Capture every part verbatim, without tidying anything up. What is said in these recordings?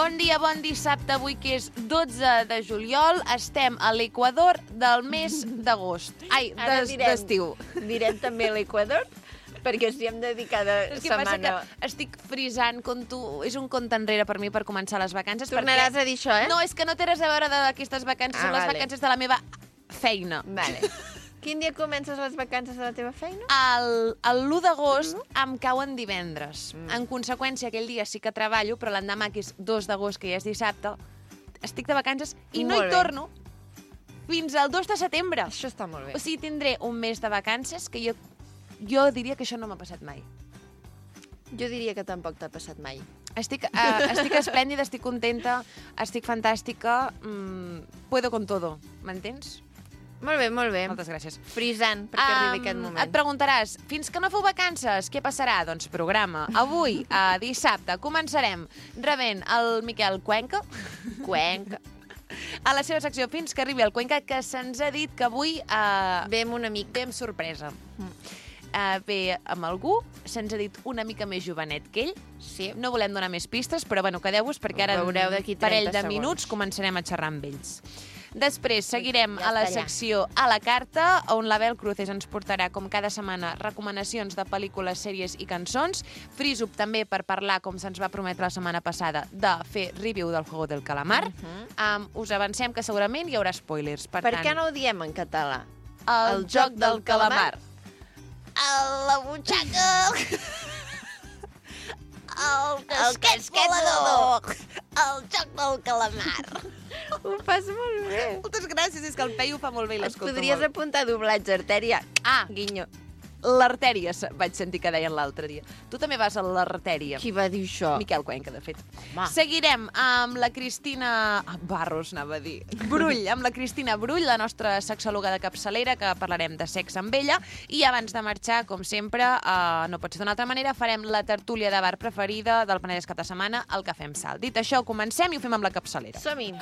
Bon dia, bon dissabte, avui que és dotze de juliol, estem a l'equador del mes d'agost. Ai, d'estiu. Direm també l'equador, perquè ens hi hem dedicat a És que setmana. passa que estic frisant, conto, és un compte enrere per mi per començar les vacances. Tornaràs perquè... a dir això, eh? No, és que no té res a veure d'aquestes vacances, Ah, són les vale. vacances de la meva feina. Vale. Quin dia comences les vacances de la teva feina? El, el l'u d'agost em cauen divendres. Mm. En conseqüència, aquell dia sí que treballo, però l'endemà, que és dos d'agost, que ja és dissabte, estic de vacances i no Molt hi bé. torno fins al dos de setembre. Això està molt bé. O sigui, tindré un mes de vacances que jo, jo diria que això no m'ha passat mai. Jo diria que tampoc t'ha passat mai. Estic, uh, estic esplèndida, estic contenta, estic fantàstica, mm, puedo con todo, m'entens? Molt bé, molt bé. Moltes gràcies. Frisant, perquè um, arribi aquest moment. Et preguntaràs, fins que no feu vacances, què passarà? Doncs programa. Avui, uh, dissabte, començarem rebent el Miquel Cuenca, Cuenca. a la seva secció Fins que arribi el Cuenca, que se'ns ha dit que avui uh, Ve amb un amic. ve amb sorpresa. Uh, ve amb algú, se'ns ha dit una mica més jovenet que ell. Sí. No volem donar més pistes, però bueno, quedeu-vos perquè ara en Veureu d'aquí un parell trenta de segons. minuts començarem a xerrar amb ells. Després seguirem Ja a la està allà. secció A la carta, on l'Abel Cruces ens portarà, com cada setmana, recomanacions de pel·lícules, sèries i cançons. Freeze-up també per parlar, com se'ns va prometre la setmana passada, de fer review del Juego del Calamar. Uh -huh. um, us avancem que segurament hi haurà spoilers. Per, Per tant, què no ho diem en català? el, el joc del calamar. A la butxaca! El casquet volador. El joc del calamar. Ho fas molt bé. Moltes gràcies, és que el Peyu fa molt bé i Et l'escolto podries molt. apuntar a doblatge, Artèria. Ah, Guinyo. l'artèria, se- vaig sentir que deien l'altre dia. Tu també vas a l'artèria. Qui va dir això? Miquel Cuenca, de fet. Home. Seguirem amb la Cristina... Ah, Barros, anava a dir. Brull, amb la Cristina Brull, la nostra sexòloga de capçalera, que parlarem de sexe amb ella. I abans de marxar, com sempre, uh, no pot ser d'una altra manera, farem la tertúlia de bar preferida del Penedès cap de setmana, el Cafè amb Sal. Dit això, comencem i ho fem amb la capçalera. Som-hi.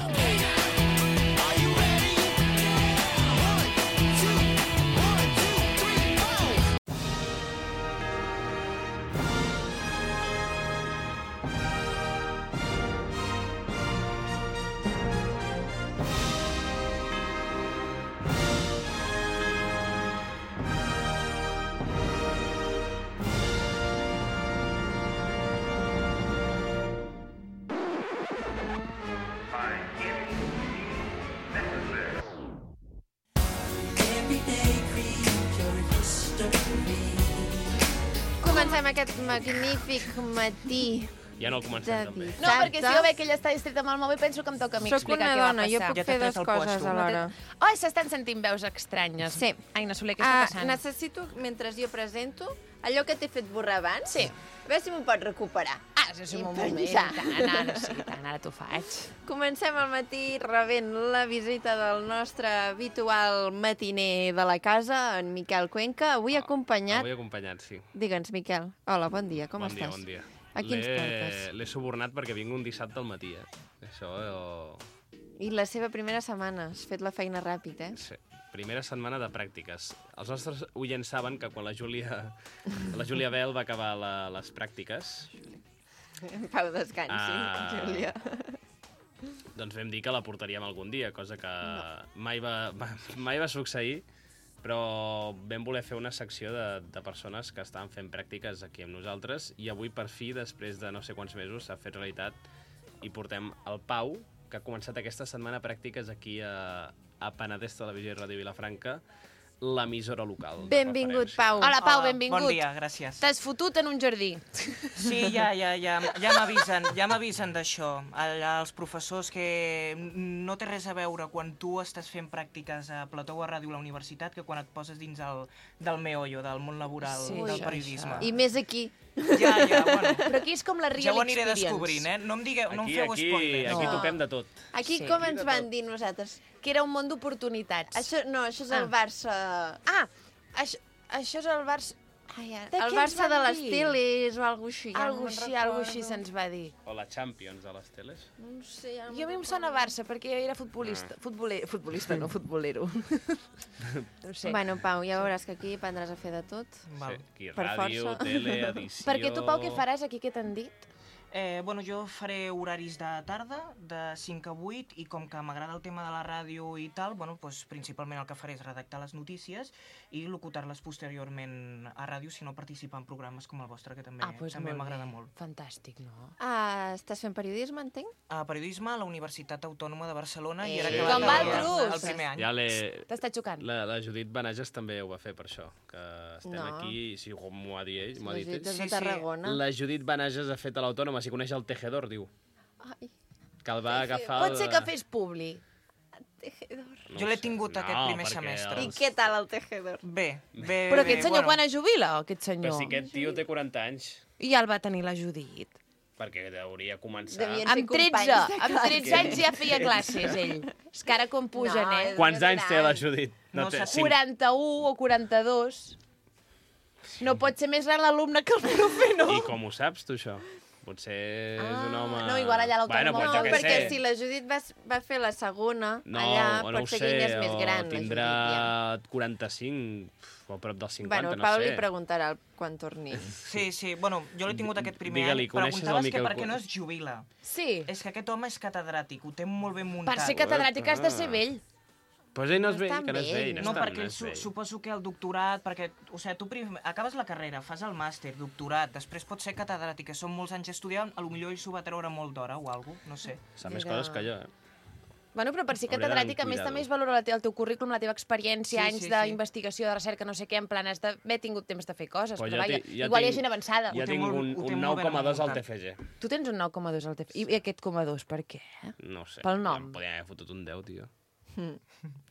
Comencem aquest magnífic matí Ja no el de comencem, també. dissabte. No, perquè si jo veig que ella està distreta amb el mòbil, penso que em toca a mi Soc explicar una què va dona, jo passar. puc Ja t'he fer tret dues el coses puesto. alhora. Ai, s'estan sentint veus estranyes. Sí. Ai, Soler, què està Ah, passant? necessito, mentre jo presento, allò que t'he fet borrar abans, Sí. a veure si m'ho pots recuperar. Ah, és un I moment. penjar. Tant, ara sí, tant, ara t'ho faig. Comencem al matí rebent la visita del nostre habitual matiner de la casa, en Miquel Cuenca, avui acompanyat... Avui acompanyat, sí. Digue'ns, Miquel. Hola, bon dia, com bon estàs? dia, bon dia. A qui ens L'he- portes? L'he subornat perquè vinc un dissabte al matí, eh? Això, eh, I la seva primera setmana, has fet la feina ràpid, eh? sí. Primera setmana de pràctiques. Els nostres oients saben que quan la Júlia, la Júlia Bel va acabar la, les pràctiques, En pau descansi, Ah. Júlia. doncs vam dir que la portaríem algun dia, cosa que no. mai, va, va, mai va succeir, però vam voler fer una secció de, de persones que estaven fent pràctiques aquí amb nosaltres i avui, per fi, després de no sé quants mesos, s'ha fet realitat i portem el Pau, que ha començat aquesta setmana pràctiques aquí a, a Penedès Televisió i Ràdio Vilafranca, l'emissora local. de Benvingut, referència. Pau. Hola, Pau, Hola, benvingut. Bon dia, gràcies. T'has fotut en un jardí. Sí, ja, ja, ja, ja m'avisen, ja m'avisen d'això. El- Els professors que no té res a veure quan tu estàs fent pràctiques a Plató o a Ràdio a la universitat que quan et poses dins el, del meollo, del món laboral, Sí, del això, periodisme. I més aquí. Ja, ja, bueno, Però aquí és com la real ja ho aniré experience. descobrint, eh? No em, digueu, no em Aquí, feu aquí, spoilers. aquí No. topem de tot. Aquí Sí. com ens van dir nosaltres? Que era un món d'oportunitats. Això, no, això és el Ah. Barça... Ah, això, això és el Barça... Ai, ara, De el què ens Barça de van les dir? teles o alguna així. ja Algo no me'n així, algo recordo. així se'ns va dir. O la Champions de les teles. No sé, ja no Jo a mi me'n em sona recordo. Barça, perquè jo era futbolista. Futboler, futbolista, no futbolero. No sé. Bueno, Pau, ja veuràs que aquí aprendràs a fer de tot. Val. Sí, aquí Per ràdio, força. tele, edició... Perquè tu, Pau, què faràs aquí, què t'han dit? Eh, bueno, jo faré horaris de tarda, de cinc a vuit, i com que m'agrada el tema de la ràdio i tal, bueno, doncs, principalment el que faré és redactar les notícies i locutar-les posteriorment a ràdio, si no participar en programes com el vostre, que també Ah, doncs també molt m'agrada bé. molt. Fantàstic, no? Ah, estàs fent periodisme, entenc? A periodisme a la Universitat Autònoma de Barcelona i Eh, era Sí. acabat Com el, altres. el primer any. Ja l'he... T'està xocant? La, la Judit Benages també ho va fer per això, que estem No. aquí, si com m'ho ha dit ell, m'ho ha La dit Judit ell. és de Sí, sí. Tarragona. La Judit Benages ha fet a l'Autònoma, si coneix el Tejedor, diu, Ai, que el va agafar... Pot el- ser que fes publi. tejedor. No Jo ho l'he sé. tingut aquest No, primer perquè semestre. I els- què tal el tejedor? Bé, bé, Però bé, aquest senyor bueno. quan es jubila, aquest Però senyor? si aquest tio té quaranta anys, I ja el va tenir la Judit. perquè hauria començar... Devien- ser Amb tretze, companys de amb tretze anys ja feia classes, ell. És que ara com pugen, No, eh? Quants anys té la gran. Judit? No té sé. cinc. quaranta-u o quaranta-dos. No pot ser més gran l'alumne que el profe, no? I com ho saps, tu, això? Potser és un Ah, home... no, igual allà a l'Autònoma Bueno, pues No, jo què perquè sé. si la Judit va, va fer la segona, No, allà o no pot ho ser sé, que ella és més o gran, tindrà la Judit, quaranta-cinc o a prop dels ja. cinquanta, Bueno, el no Pau sé. li preguntarà quan torni. Sí, sí, bueno, jo l'he tingut aquest primer Digue-li, any. coneixes el Preguntaves que Miquel per què Cuenca? no es jubila. Sí. És que aquest home és catedràtic, ho té molt ben muntat. Per ser catedràtic has de ser vell. Pues ell no és No vell, està que no és vell. vell. No, No, està, perquè no és su vell. suposo que el doctorat, perquè, o sigui, tu prim, acabes la carrera, fas el màster, doctorat, després pots ser catedràtic, que són molts anys estudiant, a lo millor ell s'ho va treure molt d'hora o alguna cosa, no sé. Sap més Era- coses que jo, eh? Bueno, però per ser Hauria catedràtic, a d'anar més, amb també es cuidado. valora la te- el teu currículum, la teva experiència, Sí, anys sí, sí. d'investigació, de recerca, no sé què, en plan, has d'haver tingut temps de fer coses. Pues però jo vaja, ti- ja igual hi ha tinc- gent avançada. Ja té tinc molt- un, ho té un molt ben nou coma dos al muntat. T F G. Tu tens un nou coma dos al T F I aquest coma dos, per què? No ho sé. Pel nom. Em podien haver fotut un deu, tio.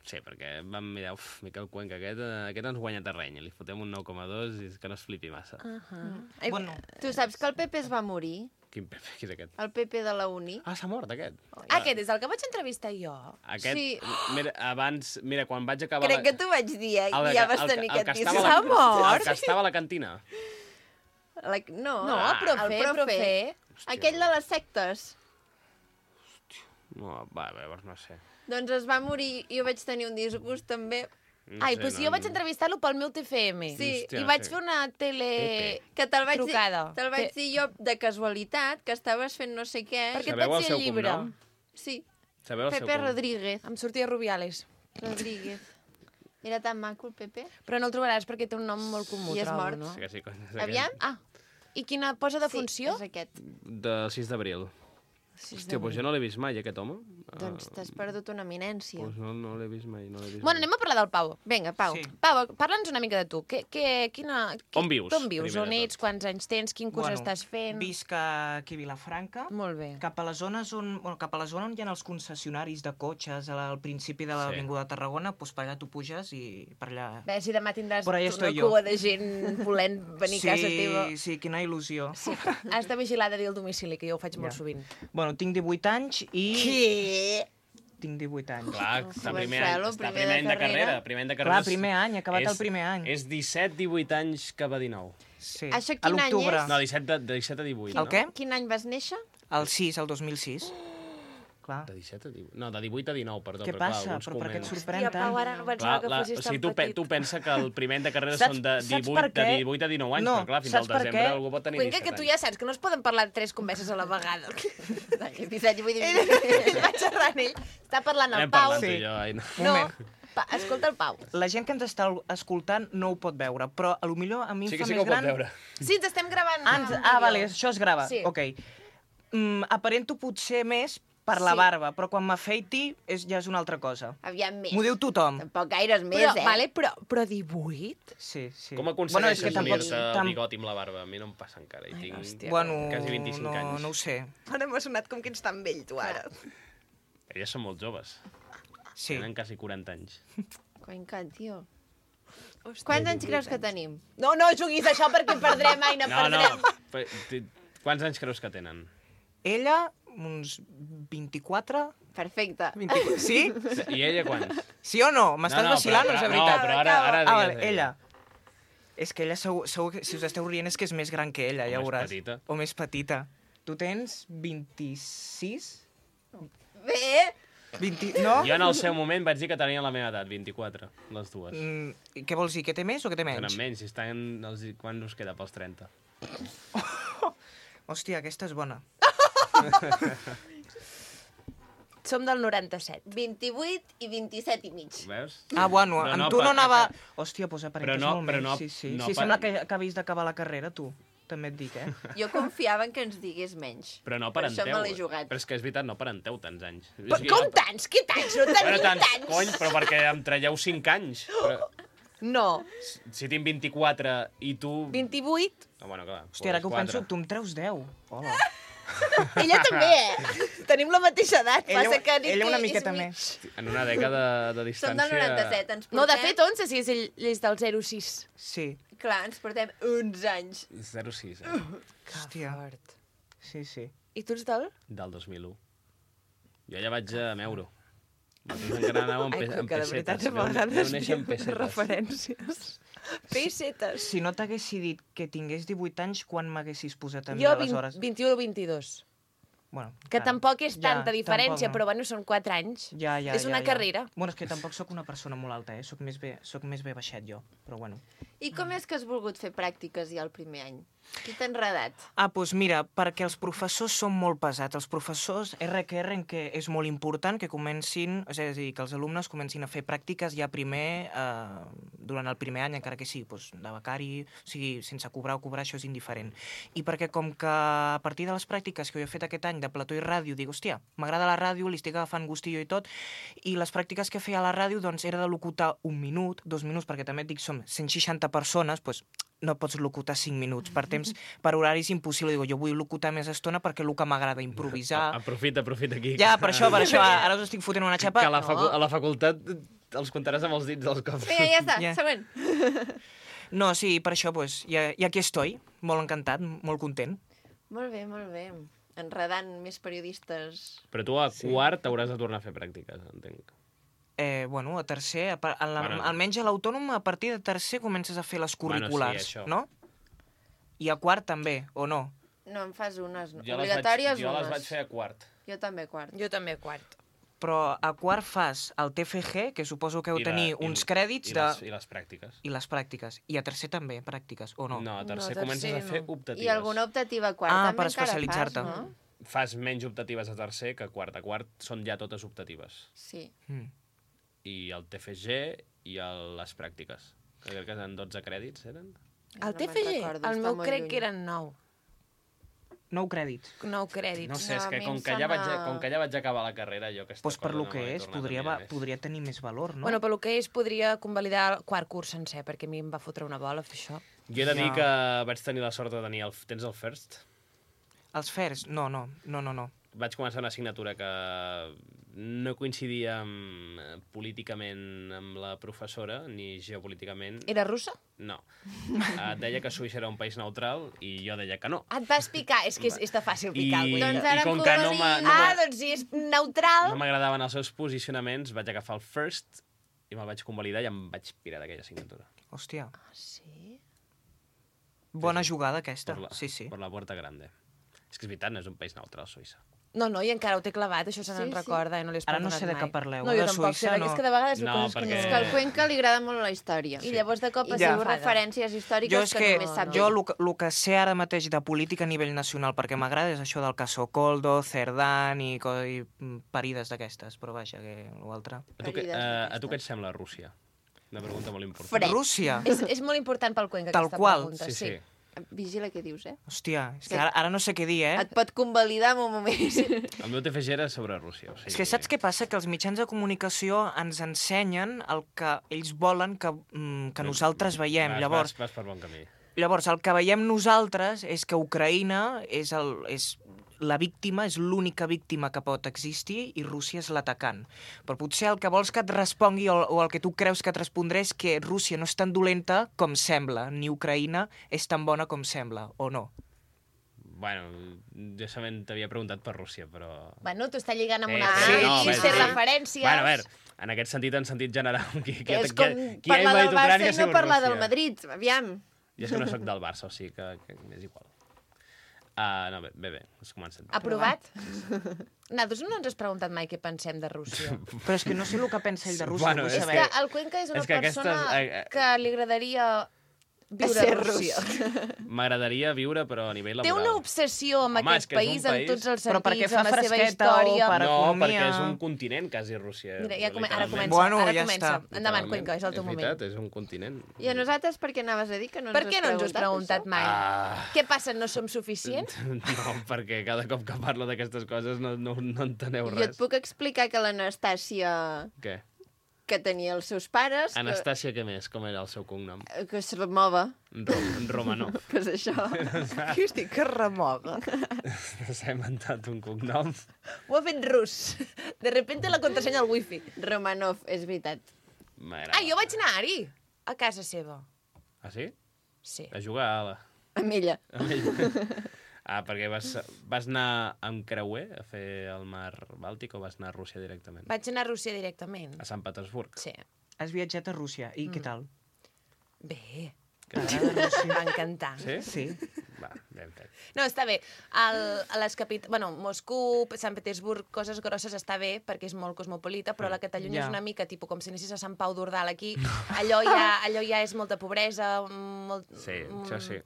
Sí, perquè vam mirar, uf, Miquel Cuenca, aquest, eh, aquest ens guanya terreny, li fotem un nou coma dos i és que no es flipi massa. Uh -huh. Ai, Bueno. Tu saps que el Pepe es va morir? Quin Pepe, qui és aquest? El Pepe de la uni? Ah, s'ha mort, aquest. Aquest és el que vaig entrevistar jo. Aquest, Sí. mira, abans, mira, quan vaig acabar... Crec la... que t'ho vaig dir, eh? el I de- ja vas el que- tenir el que aquest estava a disgust. la- mort? El que estava a la cantina. La... No, No, Ah, profe, el profe. profe. Aquell de les sectes. No, va, llavors no sé. Doncs es va morir i jo vaig tenir un disgust també. No Ai, sé, doncs no, jo vaig entrevistar-lo pel meu T F M. Sí. I Hòstia, no vaig sé. fer una tele... Pepe. Que te'l vaig, dir, Trucada. te vaig Te- dir jo de casualitat, que estaves fent no sé què. Perquè et Sabeu vaig el dir el seu llibre. cognom? Sí, Sabeu el seu Pepe cognom? Rodríguez. Em sortia Rubiales. Rodríguez. Era tan maco el Pepe. Però no el trobaràs perquè té un nom molt comú, I és trobo, mort. no? Sí que sí, cony, és Aviam. aquest. Ah, i quina posa de funció? Sí, és aquest. Del sis d'abril. Hòstia, doncs jo no l'he vist mai, aquest home. Doncs t'has perdut una eminència. Doncs no, no l'he vist mai, no l'he vist Bueno, mai. anem a parlar del Pau. Vinga, Pau. Sí. Pau, parla'ns una mica de tu. Que, que, quina, qui, On vius, On vius? primer On de ets? tot? Quants anys tens? Quin curs estàs fent? Visc aquí a Vilafranca. Molt bé. Cap a les zones on, bueno, cap a la zona on hi ha els concessionaris de cotxes al al principi de Sí. l'avinguda de Tarragona, doncs per allà tu puges i per allà... A veure si demà tindràs Por ahí una estoy yo. cua de gent volent venir a casa teva. Sí, sí, quina il·lusió. Sí. Has de vigilar de dir el domicili, que jo ho faig molt Ja. sovint. Bueno, tinc divuit anys i... Què? Tinc divuit anys. Clar, està Marcelo, primer any, està primer primer de any de carrera. carrera. Primer any de carrera Clar, primer any, he acabat és, el primer any. És disset divuit anys cap a dinou. Sí. Això a quin any l'octubre. és? No, disset, de, de disset a divuit, El no? què? Quin any vas néixer? El sis, el dos mil sis. Clar. De disset a divuit... No, de divuit a dinou, perdó. Què però clar, passa? alguns Però per què et coments- sorprèn Hòstia, Pau, tant? ara no pensava Clar, que la, fossis o tan sigui, tu, pe, petit. tu pensa que el primer any de carrera Saps- són de saps divuit, per de què? divuit a dinou anys, No, però clar, fins saps al per desembre què? algú pot tenir Cuenca, disset que tu anys. ja saps que no es poden parlar tres converses a la vegada. disset, divuit, ell va xerrant ell. Està parlant el Anem Pau. parlant tu Sí. i jo, ai, no. No, Moment. pa, escolta el Pau. La gent que ens està escoltant no ho pot veure, però a lo millor a mi em Sí que fa sí que més ho pot gran... veure. Sí, ens estem gravant. Ah, un ens... ah, vídeo. vale, això es grava. Sí. Ok. Mm, aparento potser més per la Sí. barba, però quan m'afeiti és, ja és una altra cosa. Aviam més. M'ho diu tothom. Tampoc gaires més, Però, eh? vale, però, però divuit? Sí, sí. Com Bueno, aconsegueixes és que tampoc- unir-te el tam- bigoti amb la barba? A mi no em passa encara. I tinc... hòstia. Bueno, Quasi vint-i-cinc no, anys. no ho sé. Ara m'ha sonat com que ets tan vell, tu, ara. Elles són molt joves. Sí. Tenen quasi quaranta anys. Cuenca, tio. Quants anys creus que tenim? No, no juguis a això perquè perdrem, ai, no, No, no. perdrem. Però, ti- Quants anys creus que tenen? Ella, uns vint-i-quatre... Perfecte. vint-i-quatre. Sí? I ella quants? Sí o no? M'estàs no, vacilant però, o és de però, veritat? No, però ara, ara Ah, digues vale, ella. ella. És que ella segur, segur que si us esteu rient és que és més gran que ella, O ja més veuràs. petita. O més petita. Tu tens vint-i-sis? Bé, vint... No? Jo en el seu moment vaig dir que tenien la meva edat, vint-i-quatre, les dues. Mm, i què vols dir, que té més o que té menys? Tenen menys, si estan... Els... Quan us queda pels trenta? Hòstia, aquesta és bona. Som del noranta-set. vint-i-vuit i vint-i-set i mig. Veus? Ah, bueno, No, amb no, tu no per- anava... que- Hòstia, doncs Però aparentes no- molt però més. no- Sí, sí. no Sí, per- sembla que acabis d'acabar la carrera, tu. També et dic, eh? Jo confiava en que ens digués menys. Però no Per parenteu. això me l'he jugat. Però és que és veritat, no parenteu tants anys. Però És que com jo- tants? Què tants? No tenim Bueno, tants, tants. cony, però perquè em traieu cinc anys. Però, No. si tinc vint-i-quatre i tu... vint-i-vuit. Ah, bueno, clar. Hòstia, ara que ho quatre. penso, tu em treus deu. Hola. Ella també, eh? Tenim la mateixa edat. Ella, Passa que ella una és miqueta mig. més. En una dècada de Som distància... del noranta-set, ens portem... No, de fet, onze, si és ell és del zero sis. Sí. Clar, ens portem uns anys. zero sis, eh? Hòstia. Fort. Sí, sí. I tu ets del? Del dos mil u. Jo ja vaig a Meuro. Vosaltres encara anàveu amb, Ai, pe amb que de veritat, pessetes. a Veu- vegades veu néixer amb diu pessetes. referències. Pessetes. Si no t'haguessi dit que tingués divuit anys, quan m'haguessis posat a mi, Jo, vint, aleshores? vint-i-u o vint-i-dos. Bueno, Que clar. tampoc és Ja, tanta diferència, tampoc no. però bueno, són quatre anys. Ja, ja, és ja, una ja. carrera. Bueno, és que tampoc sóc una persona molt alta, eh? Soc més bé, soc més bé baixet jo, però bueno. I com és que has volgut fer pràctiques ja el primer any? Qui t'ha enredat? Ah, doncs mira, perquè els professors són molt pesats. Els professors R que R que és molt important que comencin, és a dir, que els alumnes comencin a fer pràctiques ja primer, eh, durant el primer any, encara que sigui doncs, de becari, o sigui, sense cobrar o cobrar, això és indiferent. I perquè com que a partir de les pràctiques que jo he fet aquest any de plató i ràdio, dic, hòstia, m'agrada la ràdio, li estic agafant gustillo i tot, i les pràctiques que feia a la ràdio, doncs, era de locutar un minut, dos minuts, perquè també et dic, som cent seixanta persones, doncs, no pots locutar cinc minuts. Per temps, per horari és impossible. Digo, jo vull locutar més estona perquè el que m'agrada improvisar. Aprofita, aprofita aquí. Ja, per això, per això. Ara us estic fotent una xapa. Que a la, facu No. a la facultat els comptaràs amb els dits dels cops. Vinga, ja està, Ja. següent. No, sí, per això, pues, ja, ja aquí estoy. Molt encantat, molt content. Molt bé, molt bé. Enredant més periodistes. Però tu a quart hauràs de tornar a fer pràctiques, entenc. Eh, bueno, a tercer, a, par- a la, Bueno. almenys a l'autònom, a partir de tercer comences a fer les curriculars, Bueno, sí, això. no? I a quart també, o no? No, en fas unes. No? Jo les Obligatòries, vaig, jo les unes. vaig fer a quart. Jo també quart. Jo també quart. Però a quart fas el T F G, que suposo que heu I la- tenir i- uns crèdits I de... les, I les pràctiques. I les pràctiques. I a tercer també, pràctiques, o no? No, a tercer No, comences tercer a fer no. optatives. I alguna optativa a quart Ah, també per encara especialitzar-te. fas, no? Fas menys optatives a tercer que a quart. A quart són ja totes optatives. Sí. Mm. I el T F G i el, les pràctiques. Que crec que eren dotze crèdits, eren? El No T me'n F G, recordo, el està meu molt crec lluny. que eren nou. Nou crèdits. Nou crèdits. No sé, No, és a que mi com em que, ja vaig, sembla- com que ja vaig acabar la carrera, jo aquesta Doncs per cosa lo no que m'he és, tornat a podria, mirar va, més. podria tenir més valor, no? Bueno, pel que és, podria convalidar el quart curs sencer, perquè a mi em va fotre una bola fer això. Jo he de dir Ja. que vaig tenir la sort de tenir... El, tens el First? Els fers? No, no, no, no, no. Vaig començar una assignatura que no coincidia amb, eh, políticament amb la professora, ni geopolíticament. Era russa? No. Et deia que Suïssa era un país neutral i jo deia que no. Et vas picar? És que és, és de fàcil picar, I, el Doncs Doncs... ara i com em que no convalida. m'ha- no Ah, m'ha- doncs si és neutral... no m'agradaven els seus posicionaments, vaig agafar el First i me'l vaig convalidar i em vaig pirar d'aquella assignatura. Hòstia, Ah, sí? bona jugada aquesta. Per la, Sí, sí. Per la Puerta Grande. És que és veritat, no és un país neutral, Suïssa. No, no, i encara ho té clavat, això se Sí, n'en sí. recorda i no li has Ara no perdonat sé de mai. què parleu, No, de jo tampoc Suïssa sé, no. és que de vegades hi ha No, coses que perquè- no... És que al Cuenca li agrada molt la història. I llavors de cop I es diu enfada. referències històriques Jo és que, només sap jo ell. el que sé ara mateix de política a nivell nacional, perquè m'agrada, és això del caso Coldo, Cerdán i, co- i mm, parides d'aquestes, però vaja, que l'altre... A tu, que, Ferides uh, a tu què et d'aquestes. sembla Rússia? Una pregunta molt important. Fred. Rússia? És, és molt important pel Cuenca, Tal aquesta qual. pregunta. Sí, sí. Vigila què dius, eh? Hòstia, és que ara, ara no sé què dir, eh? Et pot convalidar en un moment. El meu T F G era sobre Rússia. O sigui, És que saps què passa? Que els mitjans de comunicació ens ensenyen el que ells volen que, mm, que nosaltres veiem. Vas, Llavors, vas, vas per bon camí. llavors, el que veiem nosaltres és que Ucraïna és, el, és la víctima, és l'única víctima que pot existir i Rússia és l'atacant. Però potser el que vols que et respongui o, o el que tu creus que et respondré és que Rússia no és tan dolenta com sembla, ni Ucraïna és tan bona com sembla, o no? Bueno, jo sabent t'havia preguntat per Rússia, però... Bueno, t'ho està lligant amb Sí, una... sí, Sí, no, sí, sí, fer sí. referències... Bueno, a veure, en aquest sentit, en sentit general, qui, qui, Que és qui, com qui, qui parlar ha del invadit Barça Ucrània i ha no sigut parlar del Rússia. Madrid. Aviam. Jo és que no sóc del Barça, o sigui que, que m'és igual. Uh, no, bé, bé, bé, has començat. Aprovat? Nosaltres no ens has preguntat mai què pensem de Rússia. Però és que no sé el que pensa ell de Rússia, Bueno, vull és És saber. que el Cuenca és una és que persona aquestes, eh, eh, que li agradaria viure a Rússia. M'agradaria viure, però a nivell Té laboral. una obsessió amb Home, aquest és que és país, un en país- tots els Però perquè sentits, fa amb la seva fresqueta o història... per No, economia. perquè és un continent, quasi, Rússia. Mira, ja come... ara literalment. comença, Bueno, ara ja comença. està. Endavant, Cuenca, és el teu és moment. veritat, és un continent. I a nosaltres per què anaves a dir que no ens Per què no ens ho has preguntat mai? Ah. Què passa, no som suficients? No, perquè cada cop que parlo d'aquestes coses no, no, no enteneu Jo et res. puc explicar que l'Anastàcia, Què? que tenia els seus pares, que, Anastàcia, què més? Com era el seu cognom? que es remova, Rom Romanov. que és això. Què estic que remoga? S'ha inventat un cognom. Ho ha fet rus. De repente la contrasenya al wifi. Romanov, és veritat. M'agrada. Ah, jo vaig anar-hi, a casa seva. Ah, sí? Sí. A jugar a la... Amb ella. amb ell. Ah, perquè vas, vas anar amb creuer a fer el mar Bàltic o vas anar a Rússia directament? Vaig anar a Rússia directament. A Sant Petersburg? Sí. Has viatjat a Rússia, i Mm. què tal? Bé. T'agrada Rússia? Em va encantar. Sí? Sí. Va, ben fet. No, està bé. El, a les capit... bueno, Moscou, Sant Petersburg, coses grosses està bé perquè és molt cosmopolita, però la Catalunya Ja. és una mica tipus com si anessis a Sant Pau d'Ordal aquí. Allò ja, allò ja és molta pobresa, molt... Sí, això sí.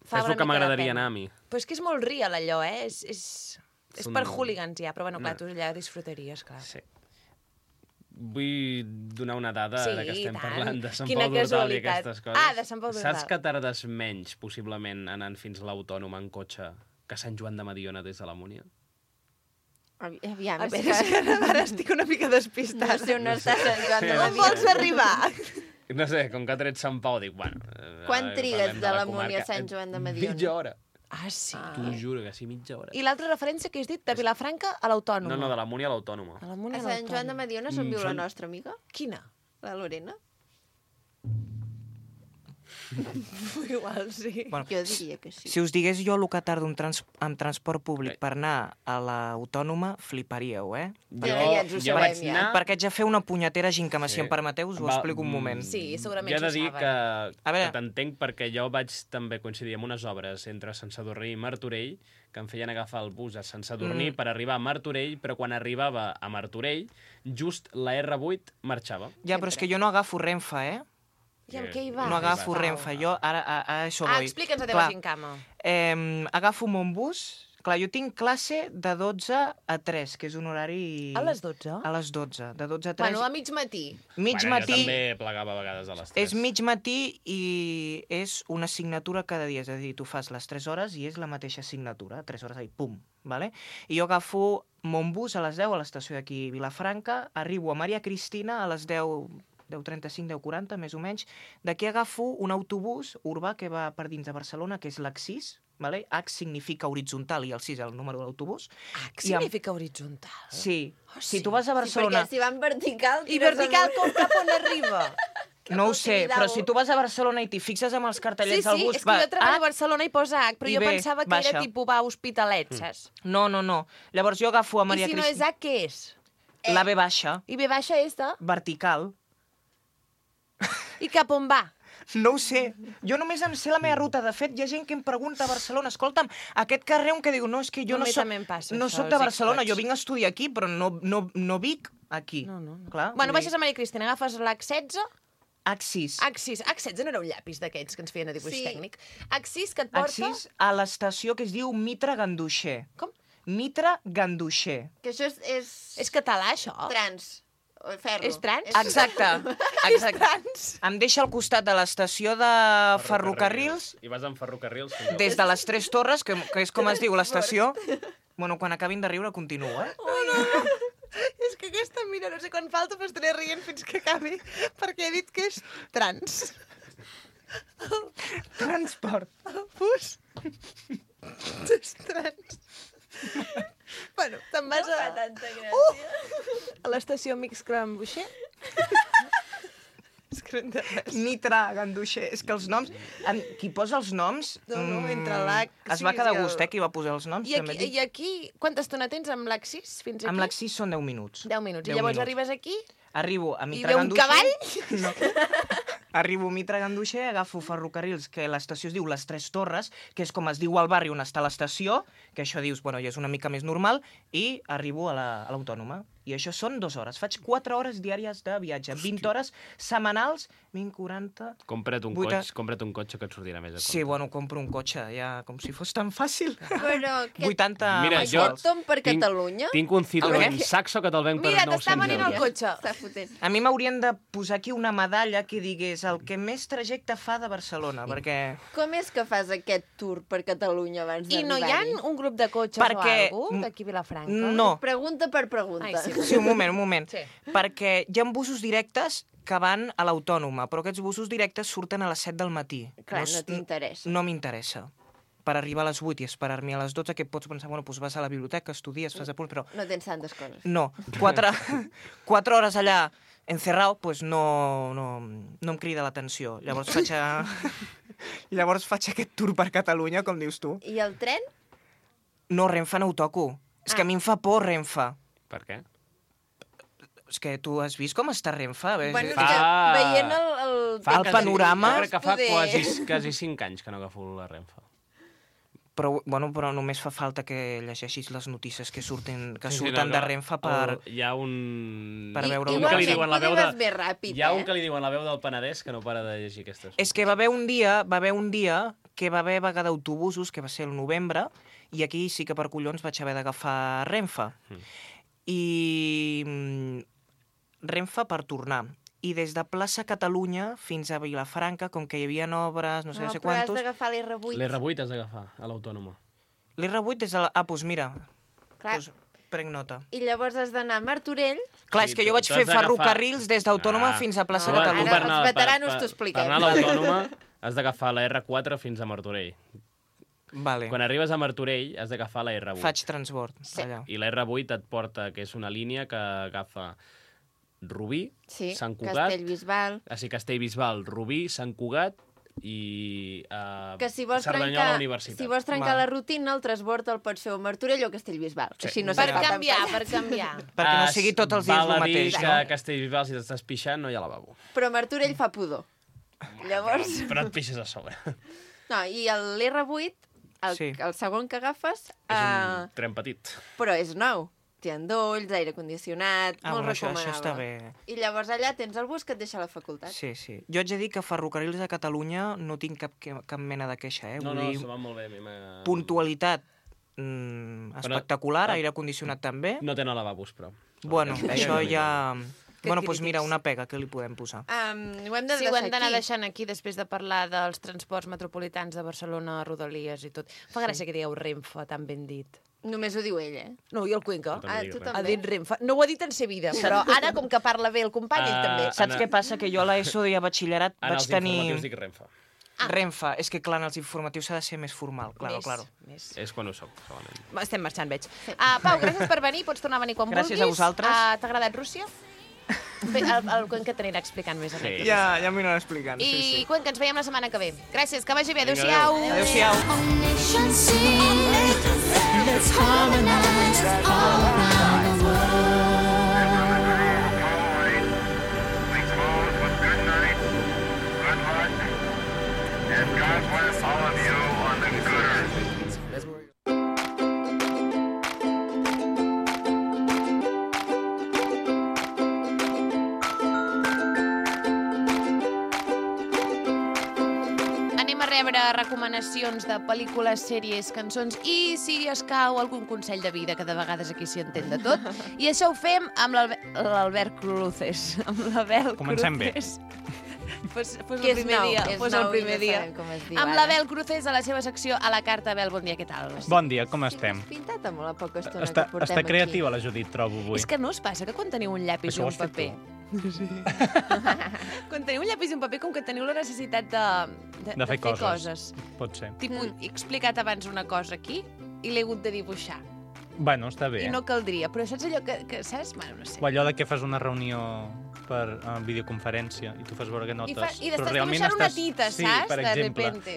Fa És una el que mica de m'agradaria pena. anar a mi. Però és que és molt real, allò, eh? És, és, és un- per hooligans, ja. Però, bueno, clar, No. tu allà disfrutaries, clar. Sí. Vull donar una dada, Sí, ara que estem i tant. parlant de Sant Quina Pau d'Ordal i casualitat. aquestes coses. Ah, de Sant Pau d'Ordal. Saps que tardes menys, possiblement, anant fins a l'Autònoma en cotxe que Sant Joan de Mediona des de la Múnia? Avi- Aviam, A és veure, és que... que ara estic una mica No despistada. sé on està Sant Joan de Sí. On Mediona. vols arribar? No sé, com que ha tret Sant Pau, dic, bueno... eh, Quan eh, trigues parlem de la comarca. Múnia a Sant Joan de Mediona? Mitja hora. Ah, sí. T'ho juro que sí, mitja hora. I l'altra referència que has dit, de Vilafranca a l'Autònoma. No, no, de la Múnia a l'Autònoma. De la Múnia A a Sant Joan de l'Autònoma. Mediona és on Mm, viu la són- nostra amiga, Quina? la Lorena. Igual, sí. Bueno, Jo diria que sí. si us digués jo el que tardo en, trans amb transport públic per anar a l'Autònoma, fliparíeu, eh? Perquè ja ens ho jo sabem, vaig ja. anar... Perquè haig de fer una punyetera gincama. Si Sí. em permeteu, us ho Va, explico un mm, moment. Sí, segurament Jo he de s'ho dir saben. que, A veure. que t'entenc perquè jo vaig també coincidir amb unes obres entre Sant Sadurní i Martorell que em feien agafar el bus a Sant Sadurní Mm. per arribar a Martorell, però quan arribava a Martorell, just la erre vuit marxava. Ja, però és que jo no agafo Renfe, eh? I amb què hi vas? No agafo Pau? Renfe. Jo ara a, a això Ah, voy. explica'ns la teva Clar, gincama. Eh, agafo mon bus. Clar, jo tinc classe de dotze a tres, que és un horari... A les dotze? A les dotze. De dotze a tres. Bueno, a mig matí. mig bueno, matí... Jo també plegava a vegades a les tres. És mig matí i és una assignatura cada dia, és a dir, tu fas les tres hores i és la mateixa assignatura, tres hores ahí, pum, vale? I jo agafo mon bus a les deu a l'estació d'aquí Vilafranca, arribo a Maria Cristina a les deu, deu trenta-cinc, deu quaranta, més o menys. D'aquí agafo un autobús urbà que va per dins de Barcelona, que és l'Axis, vale? H significa horitzontal i el sis el número de l'autobús. Ah, què I amb- significa horitzontal? Sí. Oh, Si sí. tu vas a Sí, Barcelona... perquè si van vertical... I tires vertical amunt. com cap on arriba? No ho al sé, Tibidabo. però si tu vas a Barcelona i t'hi fixes amb els Sí, cartellets sí, del bus... és que jo treballo a H, Barcelona i posa H, però I jo B, pensava que baixa. era tipus va Hospitalet, saps? No, no, no. Llavors jo agafo a Maria I si no és Cristina... H, què és? La B baixa, I B baixa és de... vertical. I cap on va? No ho sé. Jo només em sé la meva ruta. De fet, hi ha gent que em pregunta a Barcelona, escolta'm, aquest carrer on que diu, no, és que jo A no mi soc, també em passa no això, soc de els Barcelona, experts. jo vinc a estudiar aquí, però no, no, no vic aquí. No, no, no. Clar, Bueno, vull baixes a Maria Cristina, agafes l'H setze, H sis. H sis, H setze no era un llapis d'aquests que ens feien a dibuix Sí. tècnic. H sis que et porta... H sis a l'estació que es diu Mitra Ganduixer. Com? Mitra Ganduixer. Que això és... És, És català, això? trans. O ferro. És trans? Exacte. És Exacte. trans. Em deixa al costat de l'estació de ferrocarrils, I vas amb ferrocarrils. des de les Tres Torres, que, que és com es diu l'estació. Bueno, quan acabin de riure, continuo, eh? És que aquesta, mira, no sé quan falta, però estaré rient fins que acabi, perquè he dit que és trans. Transport. El bus és trans. Bueno, te'n vas a, Tanta gràcia. a l'estació Mix Crambuixer. És que no entenc res. Mitra Ganduixer. És que els noms... En, qui posa els noms... No, no, mm, entre l'H Es va sis quedar i a el- gust, eh, qui va posar els noms. I també aquí, dic. I aquí, quanta estona tens amb l'Axis fins aquí? Amb l'accís són deu minuts. deu minuts. I deu llavors minuts. arribes aquí Arribo a i Mitra ve un Ganduixer... cavall? No. Arribo a Mitra Ganduixer, agafo ferrocarrils, que l'estació es diu Les Tres Torres, que és com es diu al barri on està l'estació, que això dius, bueno, ja és una mica més normal, i arribo a la- a l'Autònoma. I això són dues hores. Faig quatre hores diàries de viatge. vint hores setmanals, vint, quaranta... Compra't un, vuita- cotxe, compra't un cotxe que et sortirà més a compte. Sí, bueno, compro un cotxe, ja, com si fos tan fàcil. Però aquest, vuitanta Mira, jo- mensuals. aquest tom per Tinc- Catalunya Tinc un Citroën veure. Saxo que te'l venc per Mira, t'està nou-cents venint el euros. cotxe. està fotent. A mi m'haurien de posar aquí una medalla que digués el que més trajecte fa de Barcelona, perquè... Com és que fas aquest tour per Catalunya abans I no hi ha d'arribar-hi? un grup de cotxes Perquè- o alguna d'aquí a Vilafranca? No. Pregunta per pregunta. Ai, sí. Sí, un moment, un moment. Sí. Perquè hi ha busos directes que van a l'Autònoma, però aquests busos directes surten a les set del matí. Clar, es- no t'interessa. No m'interessa. Per arribar a les vuit i esperar-m'hi a les dotze, que pots pensar, bueno, doncs vas a la biblioteca, estudies, fas apunt, però No tens tantes coses. no. Quatre, quatre hores allà encerrado, pues no, no, no em crida l'atenció. Llavors faig, a... Llavors faig aquest tour per Catalunya, com dius tu. I el tren? No, Renfe no ho toco. És que a mi em fa por Renfe. Per què? És que tu has vist com està Renfe? Bé, Bueno, és fa... que veient el... el... Fa el text, panorama. Jo crec que fa poder- quasi, quasi cinc anys que no agafo la Renfe. Però, bueno, però només fa falta que llegeixis les notícies que surten, que Sí, sí, surten no, de no. Renfe per... El, hi ha un... Per I- veure un un que li Igualment, diuen la veu poder de... vas més ràpid, Hi ha un eh? que li diuen la veu del Penedès que no para de llegir aquestes. És que va haver un dia, va haver un dia que va haver vaga d'autobusos, que va ser el novembre, i aquí sí que per collons vaig haver d'agafar Renfe. Mm. I mm, Renfe per tornar. I des de plaça Catalunya fins a Vilafranca, com que hi havia obres, no sé, no, sé però has quantos... d'agafar l'R vuit. L'R vuit has d'agafar, a l'Autònoma. L'R vuit des de la... Ah, doncs mira, Clar. doncs prenc nota. I llavors has d'anar a Martorell. Clar, Sí, és que jo tu- vaig tu fer has d'agafar- ferrocarrils des d'Autònoma Ah. fins a plaça No, Catalunya. ara els veteranos t'ho expliquem. Per anar a l'Autònoma has d'agafar la R quatre fins a Martorell. Vale. Quan arribes a Martorell has d'agafar la R vuit. Faig transbord Sí. allà. I la R vuit et porta, que és una línia que agafa Rubí, Sí, Sant Cugat, Castellbisbal. així Castellbisbal, Rubí, Sant Cugat i uh, Que si vols Cerdanyola trencar, Universitat. si vols trencar Val. la rutina, el transbord el pots fer a Martorell o a Castellbisbal. Sí. Així no Per se'n fa tan canviar, pesat. per canviar. Perquè no Ah, sigui tots els dies val el a dir mateix, que no? a Castellbisbal, si t'estàs pixant, no hi ha lavabo. Però Martorell fa pudor. Llavors... Però et pixes a sobre. No, i l'R vuit, el, Sí. el segon que agafes, És uh, un tren petit. però és nou. Té endolls, aire condicionat, Ah, molt bueno, això, recomanable. això està bé. I llavors allà tens el bus que et deixa a la facultat. Sí, sí. Jo haig de dir que ferrocarrils de Catalunya no tinc cap, que- cap mena de queixa, eh? No, Vull no, dir, se va molt bé. A mi m'ha- puntualitat mm, Però- espectacular, aire condicionat també. No tenen lavabos, però. Bueno, Ja, això ja, ja... Que Bueno, doncs crítics. mira, una pega que li podem posar. Um, ho hem de Sí, deixar ho hem d'anar aquí. deixant aquí després de parlar dels transports metropolitans de Barcelona, Rodalies i tot. Fa gràcia que digueu Renfe, tan ben dit. Només ho diu ell, eh? No, i el Cuenca. També Ah, dic tu res. Ha també. dit Renfe. No ho ha dit en sa vida, però ara, com que parla bé el company, ell Ah, també. Saps Anna- què passa? Que jo a l'ESO i a batxillerat En vaig els tenir... informatius dic Renfe. Renfe. És que, clar, en els informatius s'ha de ser més formal, claro, Més, claro. Més. És quan ho soc, solament. Va, estem marxant, veig. Uh, Pau, gràcies per venir, pots tornar a venir quan Gràcies vulguis. a vosaltres. Uh, T'ha agradat Rússia? Bé, el, el Cuenca t'anirà explicant més. Sí. Ja, ja m'ho anirà explicant, I Cuenca, ens veiem la setmana que ve. Gràcies, que vagi bé. Vinga, Adéu-siau. Adéu-siau. nation sing. Let's harmonize all around the world. We close with good night, good luck, and God bless all of you on the good earth. Anem a rebre recomanacions de pel·lícules, sèries, cançons i, si escau, algun consell de vida, que de vegades aquí s'hi entén de tot. I això ho fem amb l'Albe- l'Albert Cruces. Amb l'Abel Comencem bé. Cruces. Fos, fos Que el és primer nou, dia. és Fos el nou i primer no dia. sabem com es diu Amb ara. l'Abel Cruces a la seva secció A la carta. Abel, bon dia, què tal? Bon dia, com estem? Pintat amb la poca estona Està, que portem està aquí. creativa la Judit, trobo, avui. És que no us passa que quan teniu un llapis Això i ho un has fet paper... Quan teniu un llapis i un paper, com que teniu la necessitat de, de, De fer coses. coses. Pot ser. Tipus, he explicat abans una cosa aquí i l'he hagut de dibuixar. Bueno, està bé. I no caldria, però saps allò que, que saps? Bueno, no sé. O allò de que fas una reunió per uh, videoconferència i tu fas veure que notes. I, fa, i però estàs realment dibuixant una estàs... tita, sí, saps? per De exemple. repente.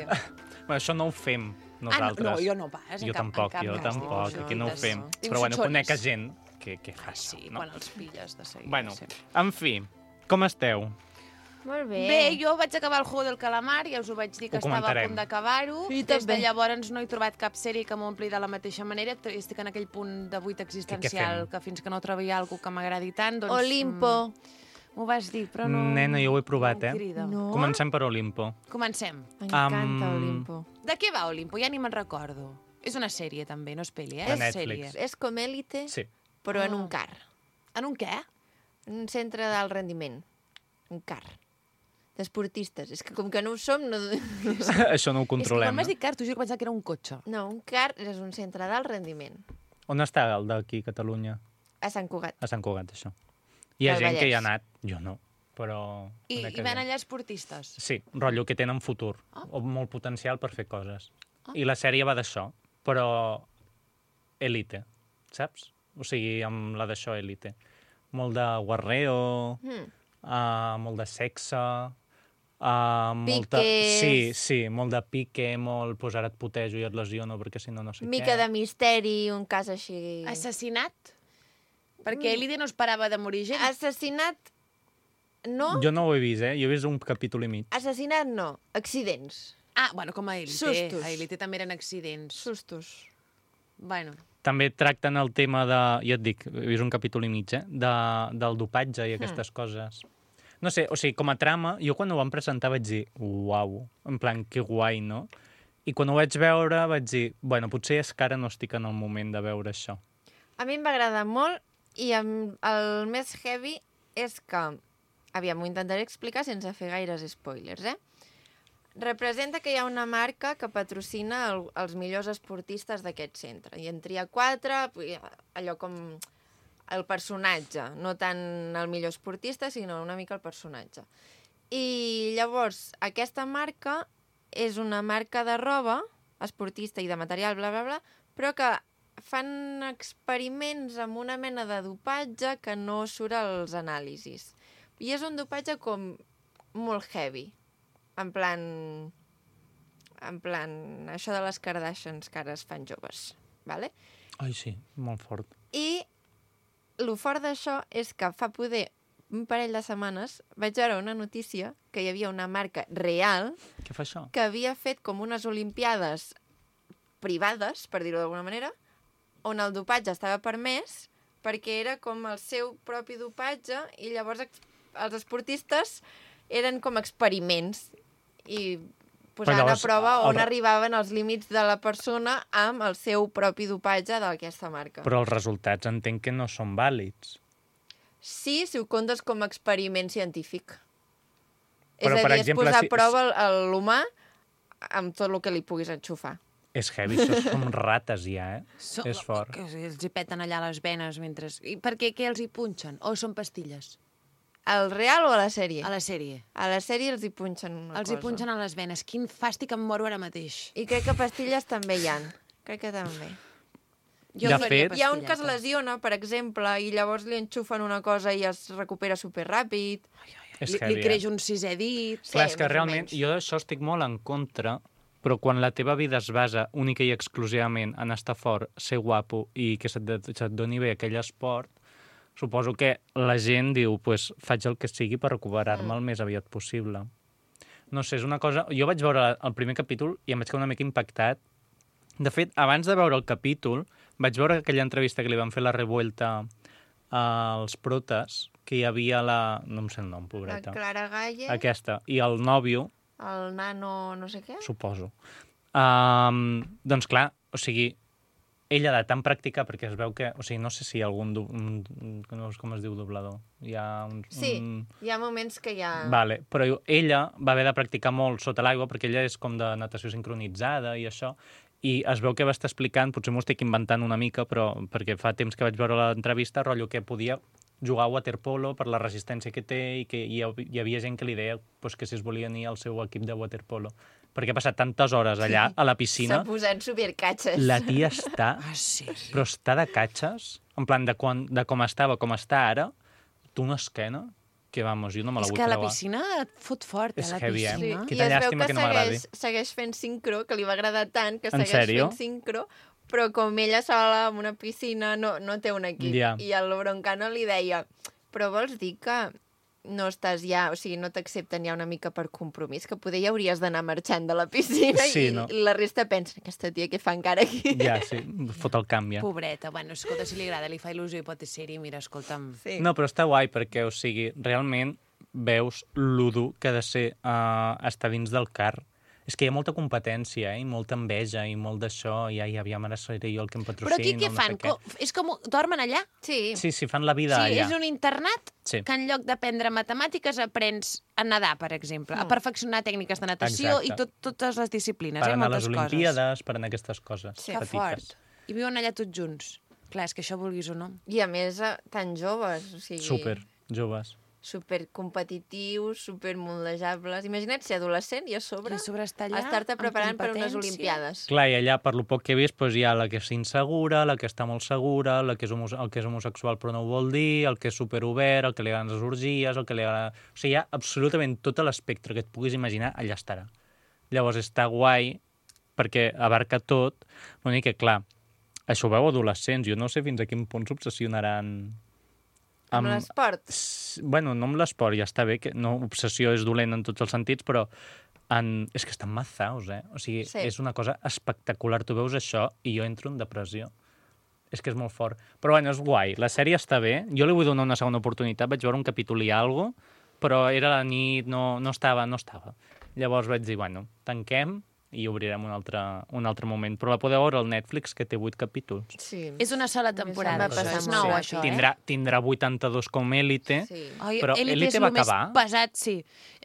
Bueno, això no ho fem Ah, no, nosaltres. no, jo no pas. En Jo cap, tampoc, en cap jo cas tampoc, dibuixo aquí no ho tites. fem. Dibuixo Però bueno, xones. conec a gent que, que fa Ah, sí, això, no? quan els pilles de seguida. Bueno, Sí. en fi, com esteu? Molt bé. Bé, jo vaig acabar el Juego del Calamar, ja us ho vaig dir que Ho estava a comentarem. punt d'acabar-ho. Sí, Des de també. llavors no he trobat cap sèrie que m'ompli de la mateixa manera. Estic en aquell punt de buit existencial fem? que fins que no trobi alguna que m'agradi tant, doncs... Olimpo. mm, M'ho vas dir, però no... Nena, jo ho he provat, no em eh? crida. No? Comencem per Olimpo. Comencem. M'encanta Am, Olimpo. De què va Olimpo? Ja ni me'n recordo. És una sèrie, també, no és pel·li, eh? De és Netflix. sèrie. És com Élite, Sí. però en Ah. un car. En un què? Un centre d'alt rendiment. Un car. D'esportistes. És que com que no ho som... No, Això no ho És que controlem. quan m'has eh? dit car, t'ho juro que pensava que era un cotxe. no, un car és un centre d'alt rendiment. On està el d'aquí, Catalunya? A Sant Cugat. A Sant Cugat, això. Hi ha Del gent que hi ha Vallès. anat, jo no, però... I, conec i van gent. allà esportistes. Sí, rotllo que tenen futur, Ah. o molt potencial per fer coses. Ah. I la sèrie va d'això, però élite, saps? O sigui, amb la d'això élite. Molt de guarreo, Mm. uh, molt de sexe, uh, molta... Piques. Sí, sí, molt de pique, molt, pues ara et putejo i et lesiono perquè si no no sé Mica què. de misteri, un cas així... Assassinat? Perquè Elide no es parava de morir gent. Assassinat... No? Jo no ho he vist, eh? Jo he vist un capítol i mig. Assassinat no. Accidents. Ah, bueno, com a Elite. Sustos. A Elite també eren accidents. Sustos. Bueno, També tracten el tema de, ja et dic, he vist un capítol i mig, eh? De, del dopatge i aquestes mm. coses. No sé, o sigui, com a trama, jo quan ho vam presentar vaig dir, uau, en plan, que guai, no? I quan ho vaig veure vaig dir, bueno, potser és que ara no estic en el moment de veure això. A mi em va agradar molt i em, el més heavy és que... Aviam, ho intentaré explicar sense fer gaires spoilers, eh? Representa que hi ha una marca que patrocina el, els millors esportistes d'aquest centre. I en tria quatre, allò com el personatge, no tant el millor esportista, sinó una mica el personatge. I llavors, aquesta marca és una marca de roba, esportista i de material, bla, bla, bla, però que fan experiments amb una mena de dopatge que no surt als anàlisis. I és un dopatge com molt heavy. En plan... En plan... Això de les Kardashians que ara es fan joves. Vale? Ai, sí, molt fort. I el fort d'això és que fa poder un parell de setmanes vaig veure una notícia que hi havia una marca real Què fa això? que havia fet com unes olimpiades privades, per dir-ho d'alguna manera, on el dopatge estava permès perquè era com el seu propi dopatge i llavors ex- els esportistes eren com experiments i posant llavors, a prova on el- arribaven els límits de la persona amb el seu propi dopatge d'aquesta marca. Però els resultats entenc que no són vàlids. Sí, si ho comptes com a experiment científic. Però, és a per dir, exemple, és posar si- a prova el- el- l'humà amb tot el que li puguis enxufar. És heavy, això som rates ja, eh? so, És fort. Que els hi peten allà les venes mentre... I per què? Què els hi punxen? O són pastilles? Al real o a la sèrie? A la sèrie. A la sèrie els hi punxen una Els cosa. hi punxen a les venes. Quin fàstic, em moro ara mateix. I crec que pastilles també hi han. Crec que també. De em faria fet- Hi ha un que es pastilletes. lesiona, per exemple, i llavors li enxufen una cosa i es recupera superràpid. És Li, heavy, li eh? creix un sisè dit. Sí, Clar, és que més o realment menys. jo d'això estic molt en contra, però quan la teva vida es basa única i exclusivament en estar fort, ser guapo i que se't, se't doni bé aquell esport, suposo que la gent diu, pues, faig el que sigui per recuperar-me Mm. el més aviat possible. No sé, és una cosa... Jo vaig veure el primer capítol i em vaig quedar una mica impactat. De fet, abans de veure el capítol, vaig veure aquella entrevista que li van fer la Revuelta als protes, que hi havia la... no em sé el nom, La pobreta. Clara Galle, Aquesta. I el nòvio, el nano no sé què. suposo. Um, doncs clar, o sigui, ella de tant practicar, perquè es veu que... O sigui, no sé si hi ha algun... Du, un, un, no sé com es diu doblador. Hi ha un... Sí, un... hi ha moments que hi ha... Vale, però ella va haver de practicar molt sota l'aigua perquè ella és com de natació sincronitzada i això, i es veu que va estar explicant, potser m'ho estic inventant una mica, però perquè fa temps que vaig veure l'entrevista, rotllo que podia jugar a waterpolo per la resistència que té i que hi, ha, hi havia gent que li deia pues, que si es volia unir al seu equip de waterpolo. Perquè ha passat tantes hores allà, a la piscina, S'ha posat supercatxes. la tia està, Ah, sí. però està de catxes, en plan de, quan, de com estava, com està ara, té una esquena que, vamos, jo no me la És vull que a la creuar. piscina et fot fort, És a la heavy, eh? piscina. Sí, Quina i es veu llàstima que, que no m'agradi. segueix, segueix fent sincro, que li va agradar tant, que En segueix sèrio? fent sincro, però com ella sola en una piscina no, no té un equip. Ja. I el Broncano li deia, però vols dir que no estàs ja, o sigui, no t'accepten ja una mica per compromís, que poder ja hauries d'anar marxant de la piscina Sí, i, no? i la resta pensa, aquesta tia què fa encara aquí? Ja, sí, fot el canvi. Ja. Pobreta, bueno, escolta, si li agrada, li fa il·lusió i pot ser-hi, mira, escolta'm... Sí. No, però està guai perquè, o sigui, realment veus lo dur que ha de ser uh, estar dins del car. És que hi ha molta competència, eh? I molta enveja, i molt d'això, i ai, aviam, ara seré jo el que em patrocina, Però aquí què no fan? sé què. Co- És com... Dormen allà? Sí. Sí, sí, fan la vida Sí, allà. és un internat Sí. que en lloc d'aprendre matemàtiques aprens a nedar, per exemple, a perfeccionar tècniques de natació Exacte. i tot, totes les disciplines, Per eh? anar a les Moltes coses. Olimpiades, per anar a aquestes coses Sí. Que petites. fort. I viuen allà tots junts. Clar, és que això vulguis o no. I a més, eh, tan joves, o sigui... Super, joves. Super competitius, super moldejables. Imagina't ser adolescent i a sobre, I a sobre estar allà, estar-te amb preparant per unes competència. olimpiades. Clar, i allà, per lo poc que he vist, doncs, hi ha la que és insegura, la que està molt segura, la que és homo el que és homosexual però no ho vol dir, el que és superobert, el que li agraden les orgies, el que li agrada... O sigui, hi ha absolutament tot l'espectre que et puguis imaginar, allà estarà. Llavors està guai perquè abarca tot, l'únic que, clar, això ho veu adolescents, jo no sé fins a quin punt s'obsessionaran... Amb l'esport. S- Bueno, no amb l'esport, ja està bé, que no, obsessió és dolent en tots els sentits, però en... és que estan mazaos, eh? O sigui, Sí. és una cosa espectacular. Tu veus això i jo entro en depressió. És que és molt fort. Però bueno, és guai. La sèrie està bé. Jo li vull donar una segona oportunitat. Vaig veure un capítol i alguna cosa, però era la nit, no, no estava, no estava. Llavors vaig dir, bueno, tanquem i obrirem un altre, un altre moment. Però la podeu veure al Netflix, que té vuit capítols. Sí. És una sola A mi se'm temporada, va això. passar És molt nou, ràpid. això, eh? Tindrà, tindrà vuitanta-dos com Élite. Sí. Ai, Però Elite Elite és va el més acabar? pesat, sí.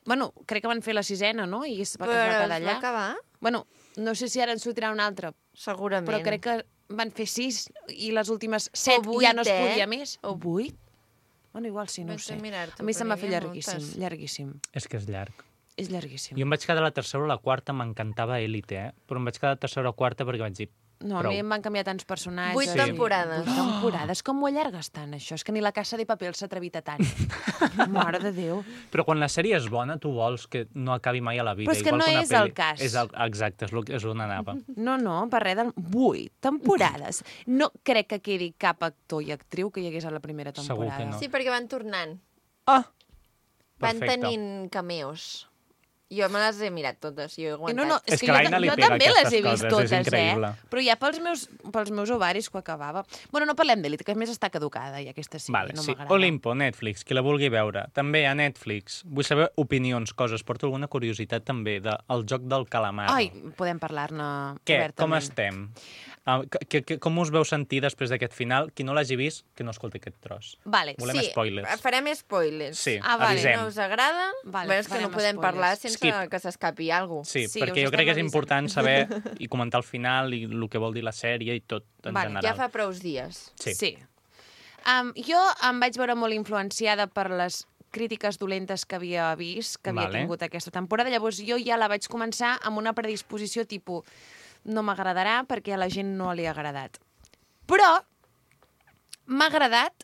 Bueno, crec que van fer la sisena, no? I es va, es va Però quedar es va allà. acabar? Bueno, no sé si ara en sortirà una altra, Segurament. però crec que van fer sis i les últimes set vuit, ja no es eh? podia més. O vuit? Bueno, igual sí, no ho Vaig sé. a mirar-t'ho, A mi se'm va perquè fer hi ha llarguíssim, moltes. llarguíssim. És que és llarg. És llarguíssim. Jo em vaig quedar a la tercera o la quarta, m'encantava Élite, eh? Però em vaig quedar a la tercera o quarta perquè vaig dir... No, a prou. mi em van canviar tants personatges. Vuit i- temporades. Vuit temporades. Com ho allargues tant, això? És que ni la Casa de Paper s'ha atrevit a tant. Mare de Déu. Però quan la sèrie és bona, tu vols que no acabi mai a la vida. Però és que igual no una és el pel·li. cas. És el, exacte, és, lo, és on anava. No, no, per res del... Vuit temporades. No crec que quedi cap actor i actriu que hi hagués a la primera Segur temporada. que no. Sí, perquè van tornant. Ah! Van Perfecte. tenint cameos. Jo me les he mirat totes, jo he I aguantat. no, no, és, És que, que jo, l'Aina li jo pega també les he aquestes vist coses, és totes, increïble. eh? Però ja pels meus, pels meus ovaris que ho acabava. Bueno, no parlem d'Elite, que a més està caducada, i aquesta sí, Vale, no sí. m'agrada. Olimpo, Netflix, qui la vulgui veure. També a Netflix. Vull saber opinions, coses. Porto alguna curiositat també del joc del calamar. Ai, podem parlar-ne Què? obertament. Com estem? Uh, que, que, com us veu sentir després d'aquest final? Qui no l'hagi vist, que no escolti aquest tros. Vale, Volem sí, spoilers. farem spoilers. Sí, Ah, vale, avisem. No us agrada? Vale, Bé, és que no farem podem spoilers. parlar sense Skip. que s'escapi alguna cosa. Sí, Sí, perquè us jo crec que és estem important saber i comentar el final i el que vol dir la sèrie i tot en Vale, general. Ja fa prous dies. Sí. sí. Um, jo em vaig veure molt influenciada per les crítiques dolentes que havia vist, que havia Vale. tingut aquesta temporada. Llavors jo ja la vaig començar amb una predisposició tipus no m'agradarà perquè a la gent no li ha agradat. Però m'ha agradat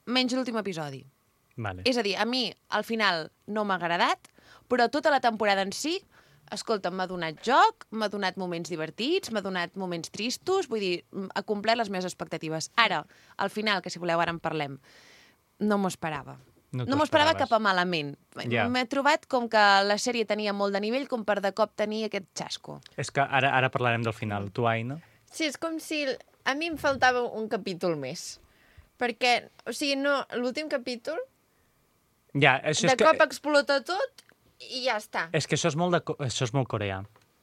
menys l'últim episodi. Vale. És a dir, a mi al final no m'ha agradat, però tota la temporada en si, escolta, m'ha donat joc, m'ha donat moments divertits, m'ha donat moments tristos, vull dir, ha complert les meves expectatives. Ara, al final, que si voleu ara en parlem, no m'ho esperava. No No, t'ho m'ho esperava esperaves. cap a malament. Ja. M'he trobat com que la sèrie tenia molt de nivell com per de cop tenir aquest xasco. És que ara, ara parlarem del final. Tu, Aina? Sí, és com si a mi em faltava un capítol més. Perquè, o sigui, no, l'últim capítol, Ja, això de és que... cop explota tot i ja està. És que això és molt, de, co- això és molt coreà.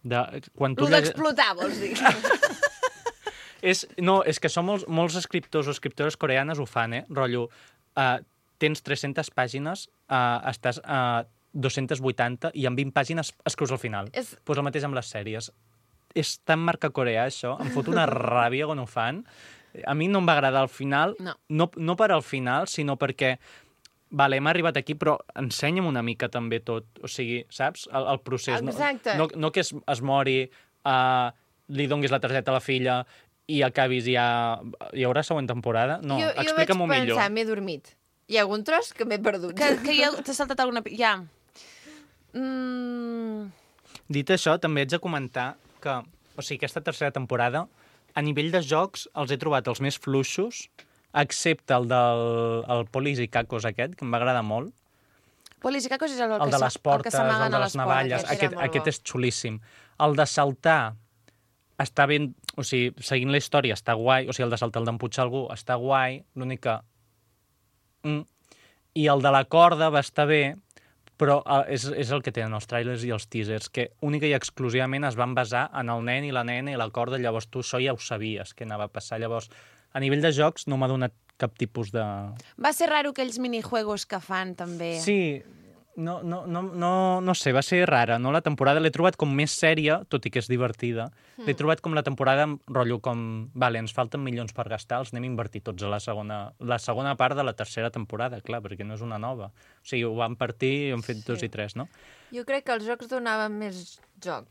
De, quan tu Lo lleg- d'explotar, vols dir? és, no, és que són molts, molts escriptors o escriptores coreanes ho fan, eh? Rotllo, uh, tens tres-centes pàgines, uh, estàs a uh, dos-centes vuitanta i en vint pàgines escrius al final. És- Pues el mateix amb les sèries. És tan marca coreà, això. Em fot una ràbia quan ho fan. A mi no em va agradar al final, No. no, no per al final, sinó perquè vale, hem arribat aquí, però ensenya'm una mica també tot. O sigui, saps? El, el procés. No- Exacte. No, no que es, es mori, uh, li donguis la targeta a la filla i acabis ja... Hi haurà següent temporada? No, jo, jo vaig explica'm-ho pensar, millor. m'he dormit. Hi ha algun tros que m'he perdut. que, que ja t'ha saltat alguna... Ja. Mm... Dit això, també haig de comentar que, o sigui, aquesta tercera temporada, a nivell de jocs, els he trobat els més fluixos excepte el del el Polis i Cacos aquest, que em va agradar molt. Polis i Cacos és el, El que de sa- les portes, el, que el de les navalles, aquest era aquest, molt aquest bo. és xulíssim. El de saltar està ben... O sigui, seguint la història està guai, o sigui, el de saltar, el d'empujar algú està guai, l'únic que... Mm. I el de la corda va estar bé, però eh, és, és el que tenen els trailers i els teasers, que única i exclusivament es van basar en el nen i la nena i la corda, llavors tu això ja ho sabies que anava a passar. Llavors, a nivell de jocs no m'ha donat cap tipus de... Va ser raro aquells minijuegos que fan, també. Sí, no, no, no, no, no sé, va ser rara, no? La temporada l'he trobat com més sèria, tot i que és divertida. L'he trobat com la temporada, amb rotllo com... Vale, ens falten milions per gastar, els anem a invertir tots a la segona, la segona part de la tercera temporada, clar, perquè no és una nova. O sigui, ho van partir i han fet Sí. dos i tres, no? Jo crec que els jocs donaven més joc.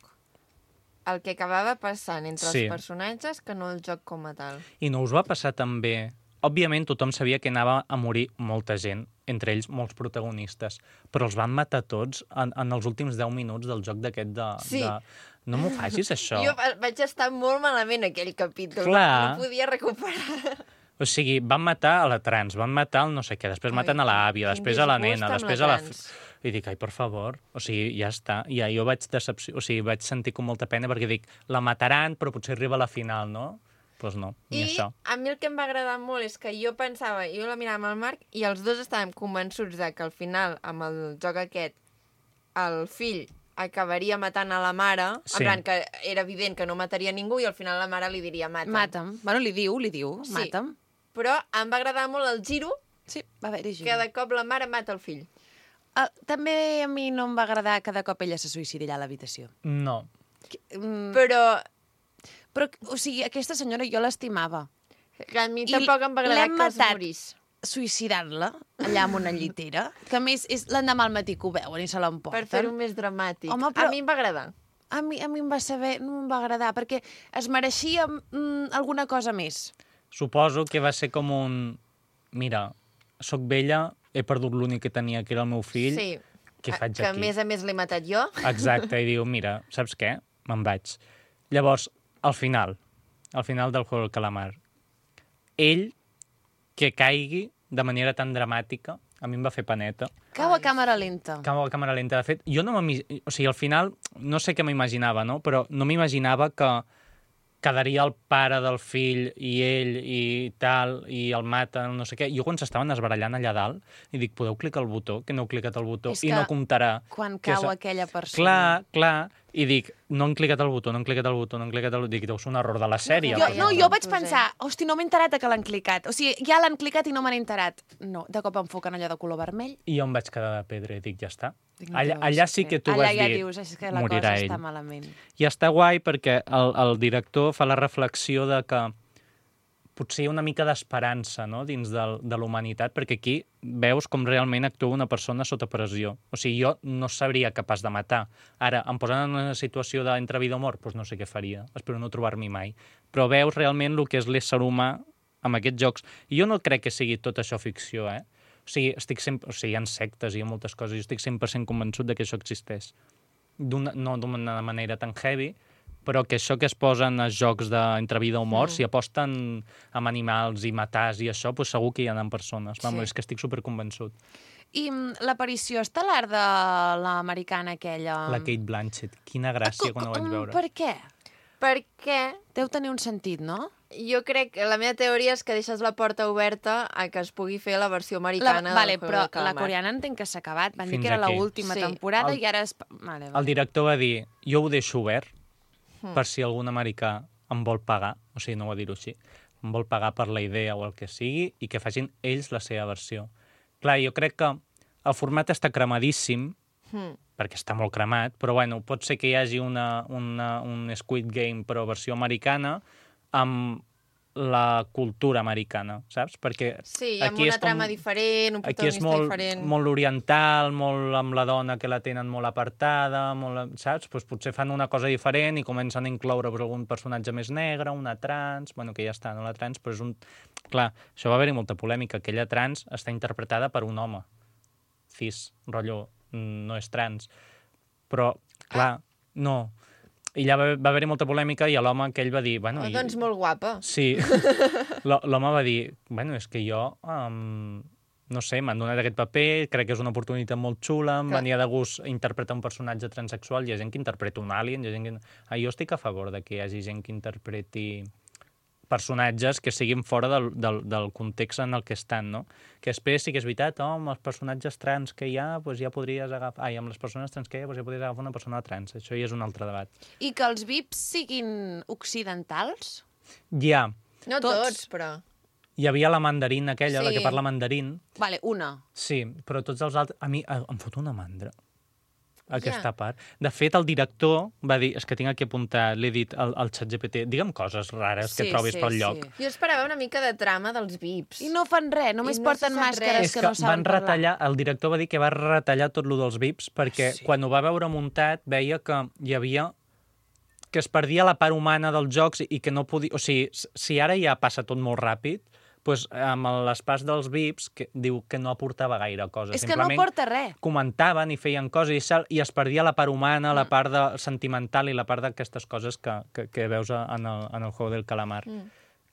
El que acabava passant entre Sí. els personatges que no el joc com a tal. I no us va passar també... Òbviament, tothom sabia que anava a morir molta gent, entre ells molts protagonistes, però els van matar tots en, en els últims deu minuts del joc d'aquest de, Sí. de... No m'ho facis, això. Jo va- vaig estar molt malament aquell capítol. Clar. No podia recuperar. O sigui, van matar a la trans, van matar el no sé què, després Ai, maten a l'àvia, quin després a la disgust nena, amb la després a la... trans. I dic, ai, per favor, o sigui, ja està. I ja jo vaig decepció... o sigui, vaig sentir com molta pena perquè dic, la mataran, però potser arriba a la final, no? Doncs pues no, ni I això. a mi el que em va agradar molt és que jo pensava, jo la mirava amb el Marc i els dos estàvem convençuts de que al final, amb el joc aquest, el fill acabaria matant a la mare, Sí. en plan que era evident que no mataria ningú i al final la mare li diria mata'm. Mata'm. Bueno, li diu, li diu, Sí. mata'm. Però em va agradar molt el giro Sí, va haver-hi que gent. de cop la mare mata el fill. Ah, també a mi no em va agradar que de cop ella se suïcidi allà a l'habitació. No. Mm, Però però, o sigui, aquesta senyora jo l'estimava. a mi I tampoc em va agradar l'hem que es matat. morís. Suïcidant-la allà amb una llitera, que a més és l'endemà al matí que ho veuen i se l'emporten. Per fer-ho més dramàtic. Home, però- A mi em va agradar. A mi, a mi em va saber, no em va agradar, perquè es mereixia mm, alguna cosa més. Suposo que va ser com un... Mira, sóc vella, he perdut l'únic que tenia, que era el meu fill. Sí. Què faig que aquí? a més a més l'he matat jo. Exacte, i diu, mira, saps què? Me'n vaig. Llavors, al final, al final del Juego del Calamar, ell que caigui de manera tan dramàtica, a mi em va fer paneta. Cau a càmera lenta. Cau a càmera lenta. De fet, jo no m'imi... O sigui, al final, no sé què m'imaginava, no? Però no m'imaginava que quedaria el pare del fill i ell i tal, i el maten, no sé què. Jo quan s'estaven esbarallant allà dalt, i dic, podeu clicar el botó, que no heu clicat el botó, És i que no comptarà. Quan que cau és- aquella persona. Clar, clar. I dic, no han clicat el botó, no han clicat el botó, no han clicat el botó. Dic, deu ser un error de la sèrie. Jo, però- no, ja jo ho vaig posem. pensar, hosti, no m'he enterat de que l'han clicat. O sigui, ja l'han clicat i no m'han enterat. No, de cop enfoquen allò de color vermell. I jo em vaig quedar de pedra i dic, ja està. Dic, no Allà, té allà res sí fer. que tu allà vas ja dir, dius, és que la morirà cosa ell. està malament. I està guai perquè el, el director fa la reflexió de que potser hi ha una mica d'esperança, no?, dins del, de la humanitat, perquè aquí veus com realment actua una persona sota pressió. O sigui, jo no seria capaç de matar. Ara, em posen en una situació d'entre vida o mort, doncs no sé què faria. Espero no trobar-m'hi mai. Però veus realment el que és l'ésser humà amb aquests jocs. I jo no crec que sigui tot això ficció, eh? O sigui, estic sempre... o sigui, hi ha sectes i hi ha moltes coses. Jo estic cent per cent convençut de que això existeix. D'una, no d'una manera tan heavy, però que això que es posen als jocs d'entre vida o mort, mm. si aposten amb animals i matars i això, doncs segur que hi ha persones. Vamos, Sí. és que estic superconvençut. I mm, l'aparició estel·lar de l'americana aquella... La Kate Blanchett, quina gràcia quan ho vaig Mm, veure. Per què? Perquè Deu tenir un sentit, no? jo crec que la meva teoria és que deixes la porta oberta a que es pugui fer la versió americana La, vale, del Juego però del Calamar. la coreana entenc que s'ha acabat. Van dir Fins que era aquí. l'última Sí. temporada El- i ara... És... Vale, El vale. director va dir, jo ho deixo obert Hmm. per si algun americà em vol pagar, o sigui, no ho va dir-ho així, em vol pagar per la idea o el que sigui i que facin ells la seva versió. Clar, jo crec que el format està cremadíssim, Hmm. perquè està molt cremat, però bueno, pot ser que hi hagi una, una, un Squid Game però versió americana amb la cultura americana, saps? Perquè Sí, amb aquí una és com- trama diferent, un aquí és protagonista molt, diferent. molt oriental, molt amb la dona que la tenen molt apartada, molt, saps? Pues potser fan una cosa diferent i comencen a incloure pues, algun personatge més negre, una trans, bueno, que ja està, no la trans, però és un... Clar, això va haver-hi molta polèmica. Aquella trans està interpretada per un home. Cis, rotllo, no és trans. Però, clar, no. I allà va, va haver-hi molta polèmica i l'home aquell va dir... Bueno, Oh, i... doncs molt guapa. Sí. L- L'home va dir, bueno, és que jo, um, no sé, m'han donat aquest paper, crec que és una oportunitat molt xula, em Clar. venia de gust interpretar un personatge transsexual, hi ha gent que interpreta un alien, hi ha gent que... Ah, jo estic a favor de que hi hagi gent que interpreti personatges que siguin fora del, del, del context en el que estan, no? Que després sí que és veritat, oh, amb els personatges trans que hi ha, doncs ja podries agafar... Ai, amb les persones trans que hi ha, doncs ja podries agafar una persona trans. Això ja és un altre debat. I que els V I Ps siguin occidentals? Hi ha... No Tots. tots, però... Hi havia la mandarín aquella, la Sí. que parla mandarín. Vale, una. Sí, però tots els altres... A mi eh, em fot una mandra, aquesta Ja. part. De fet, el director va dir... És que tinc aquí apuntat, l'he dit al, al xat G P T, digue'm coses rares que Sí, trobis sí, pel sí. lloc. Jo esperava una mica de trama dels V I Ps. I no fan res, només I no porten se sap màscares res. És que, que no saben van parlar. retallar, el director va dir que va retallar tot lo dels V I Ps perquè Sí. quan ho va veure muntat veia que hi havia que es perdia la part humana dels jocs i que no podia... O sigui, si ara ja passa tot molt ràpid, doncs amb les parts dels V I Ps que diu que no aportava gaire cosa. És que no Simplement porta res. comentaven i feien coses i, sal, i es perdia la part humana, la part de, sentimental i la part d'aquestes coses que, que, que veus en el, en el Juego del Calamar. Mm.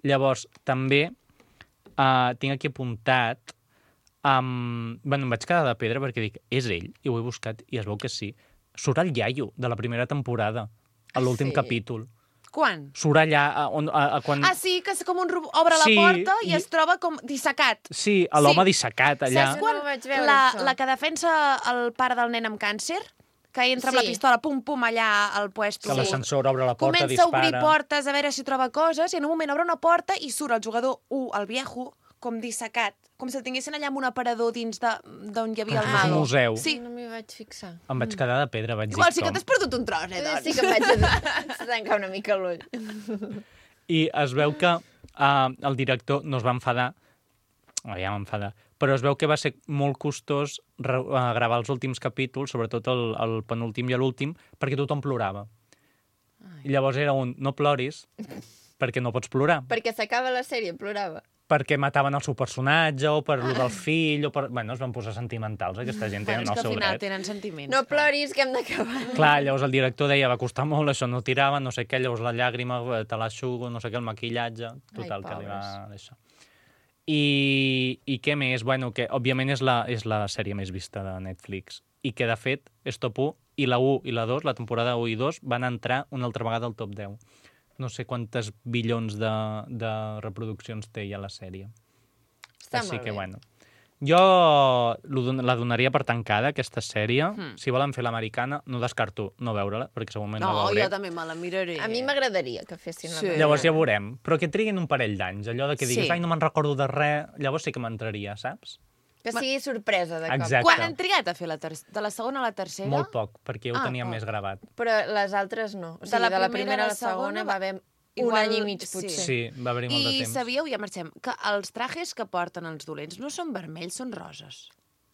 Llavors, també uh, tinc aquí apuntat... Um, bueno, em vaig quedar de pedra perquè dic, és ell? I ho he buscat i es veu que sí. Surt el iaio de la primera temporada, a l'últim sí? capítol. Quan? Surt allà a, on, a, a quan... Ah, sí, que és com un robot. Obre Sí, la porta i, i- es troba com dissecat. Sí, a l'home Sí. dissecat allà. Saps Jo quan no ho vaig veure, la, això. la que defensa el pare del nen amb càncer, que entra amb la Sí. pistola, pum-pum, allà al puesto. Que l'ascensor obre la porta, Comença a obrir dispara. portes a veure si troba coses i en un moment obre una porta i surt el jugador u, el viejo, com dissecat. Com si el tinguessin allà amb un aparador dins d'on hi havia Com el si fos un mago. museu. Sí. No m'hi vaig fixar. Em vaig quedar de pedra, vaig Igual dir sí que com. t'has perdut un tros, eh, Eh, doncs. Sí que em vaig tancar una mica l'ull. I es veu que uh, el director no es va enfadar, oh, ja m'enfadar, però es veu que va ser molt costós re, uh, gravar els últims capítols, sobretot el, el penúltim i l'últim, perquè tothom plorava. I llavors era un, no ploris, perquè no pots plorar. Perquè s'acaba la sèrie, plorava. Perquè mataven el seu personatge, o per lo del fill, o per... Bueno, es van posar sentimentals, aquesta gent Bueno, tenen és el que al seu final dret. tenen sentiments. No ploris, que hem d'acabar. Clar, llavors el director deia, va costar molt, això no tirava, no sé què, llavors la llàgrima, eh, te l'aixugo, no sé què, el maquillatge, total, Ai, que li va pobres. això. I, I què més? Bueno, que òbviament és la, és la sèrie més vista de Netflix i que, de fet, és top u i la u i la dos, la temporada u i dos, van entrar una altra vegada al top deu. No sé quantes bilions de, de reproduccions té ja la sèrie. Està Així molt que, bé. bueno. Jo lo don- la donaria per tancada, aquesta sèrie. Hmm. Si volen fer l'americana, no descarto no veure-la, perquè segurament No, la veuré. jo també me la miraré. A mi m'agradaria que fessin Sí. la Llavors ja veurem. Però que triguin un parell d'anys. Allò de que diguis, Sí. ai, no me'n recordo de res, llavors sí que m'entraria, saps? Que sigui sorpresa de cop. Exacte. Quan han trigat a fer la ter de la segona a la tercera? Molt poc, perquè ja ho Ah, teníem oh. més gravat. Però les altres no. O sigui, de la, primera a la segona va haver un Igual- any i mig, sí. potser. Sí, va haver-hi molt de I temps. sabíeu, ja marxem, que els trajes que porten els dolents no són vermells, són roses.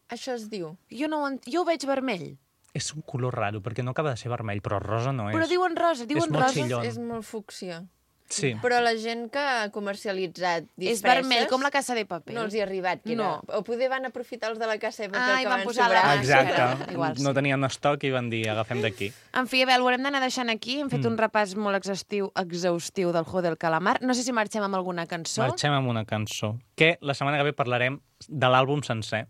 Això es diu. Jo, no, ho en- jo ho veig vermell, És un color raro, perquè no acaba de ser vermell, però rosa no és. però diuen rosa, diuen molt roses. xillón. És molt fúcsia. Sí. Però la gent que ha comercialitzat disfresses... És vermell, com la Casa de Paper. No els hi ha arribat, que era... No. O poder van aprofitar els de la Casa de Paper Ah, i que van van posar sobrar. la- Exacte. Ah, igual, sí. No tenien estoc i van dir, agafem d'aquí. En fi, a veure, ho haurem d'anar deixant aquí. Hem fet Mm. un repàs molt exhaustiu, exhaustiu del Juego del Calamar. No sé si marxem amb alguna cançó. Marxem amb una cançó, que la setmana que ve parlarem de l'àlbum sencer.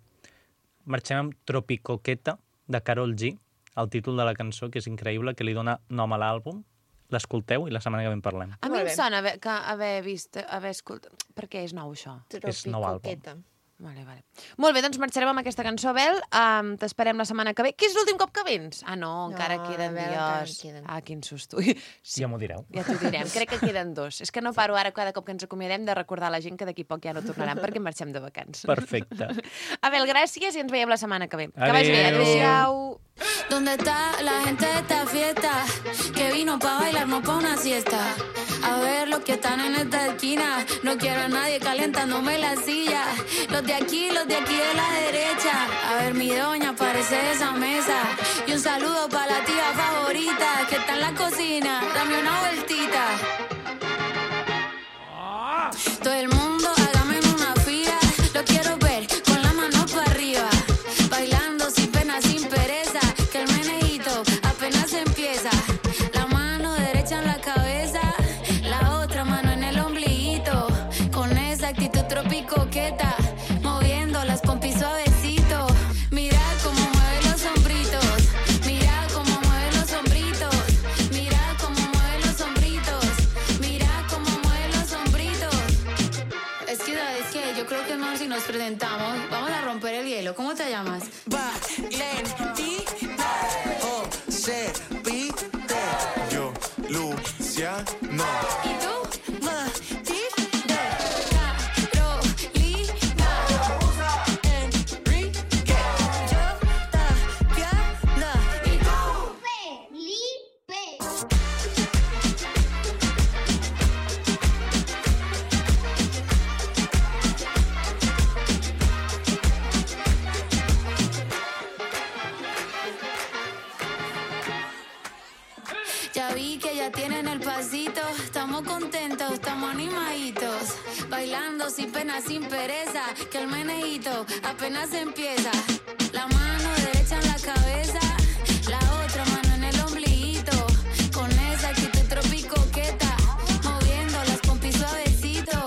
Marxem amb Tropicoqueta, de Karol G, el títol de la cançó, que és increïble, que li dona nom a l'àlbum. L'escolteu i la setmana que ve en parlem. A mi Molt em bé. sona haver, que haver vist, haver escoltat... Per què és nou, això? És nou àlbum. Tropicoqueta. Vale, vale. Molt bé, doncs marxarem amb aquesta cançó, Bel. Um, T'esperem la setmana que ve. Que és l'últim cop que vens? Ah, no, encara No, queden a veure, encara dies. queden. Ah, quin susto. Sí, Ja m'ho direu. ja t'ho direm. Crec que queden dos. És que no paro ara, cada cop que ens acomiadem, de recordar a la gent que d'aquí poc ja no tornaran perquè marxem de vacances. Perfecte. Abel, gràcies i ens veiem la setmana que ve. Que vagi bé. Adéu. Adéu-siau. ¿Dónde está la gente de esta fiesta? Que vino pa' bailar, no pa' una siesta. A ver los que están en esta esquina. No quiero a nadie calentándome la silla. Los de aquí, los de aquí de la derecha. A ver mi doña, parece de esa mesa. Y un saludo pa' la tía favorita que está en la cocina. Dame una vueltita. Todo el mundo hágame en una fila. Lo quiero ver con la mano para arriba. Bailando sin pena, sin pereza. Que el meneíto apenas empieza. La mano te llamas? Valentina. José Pite. Yo, Luciano. ¿Y tú? Ya vi que ya tienen el pasito, estamos contentos, estamos animaditos, bailando sin pena, sin pereza, que el menejito apenas empieza. La mano derecha en la cabeza, la otra mano en el ombliguito, con esa actitud tropicoqueta, moviendo las pompis suavecito.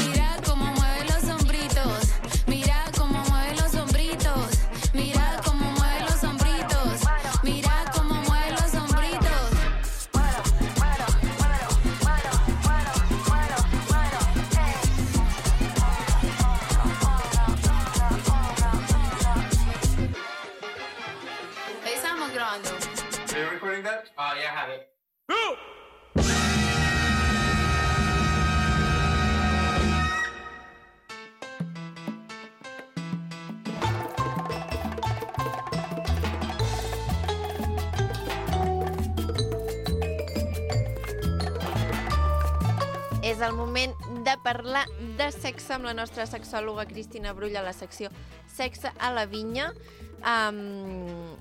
Mira cómo mueve los hombritos, mira cómo mueve los hombritos, mira cómo mueve los hombritos, mira cómo mueve los hombritos. Estamos grabando. Are you recording that? Oh, yeah, I have it. És el moment de parlar de sexe amb la nostra sexòloga Cristina Brull a la secció Sexe a la Vinya. Um,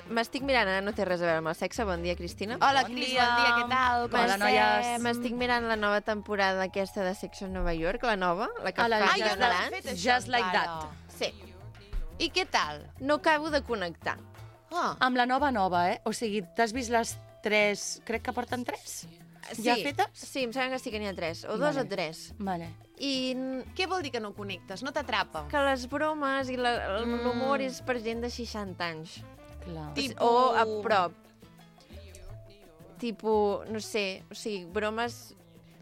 M'estic mirant, ara no té res a veure amb el sexe. Bon dia, Cristina. Hola, Bon Cris, dia. bon dia, què tal? Com Hola, estem? noies. M'estic mirant la nova temporada aquesta de Sex en Nova York, la nova, la que Ah, la fa Ah, Just jo Just no l'he Dance. fet, això, Just like encara. that. Sí, I què tal? no acabo de connectar. Ah, Amb la nova nova, eh? O sigui, t'has vist les tres... Crec que porten tres? Ja Sí, fetes? Sí, em sembla que sí que n'hi ha tres, o dos Vale. o tres. Vale. I n- què vol dir que no connectes? No t'atrapa? que les bromes i la- Mm. l'humor és per gent de seixanta anys. Clar. Tipo- O a prop. Tipo, no sé, o sigui, bromes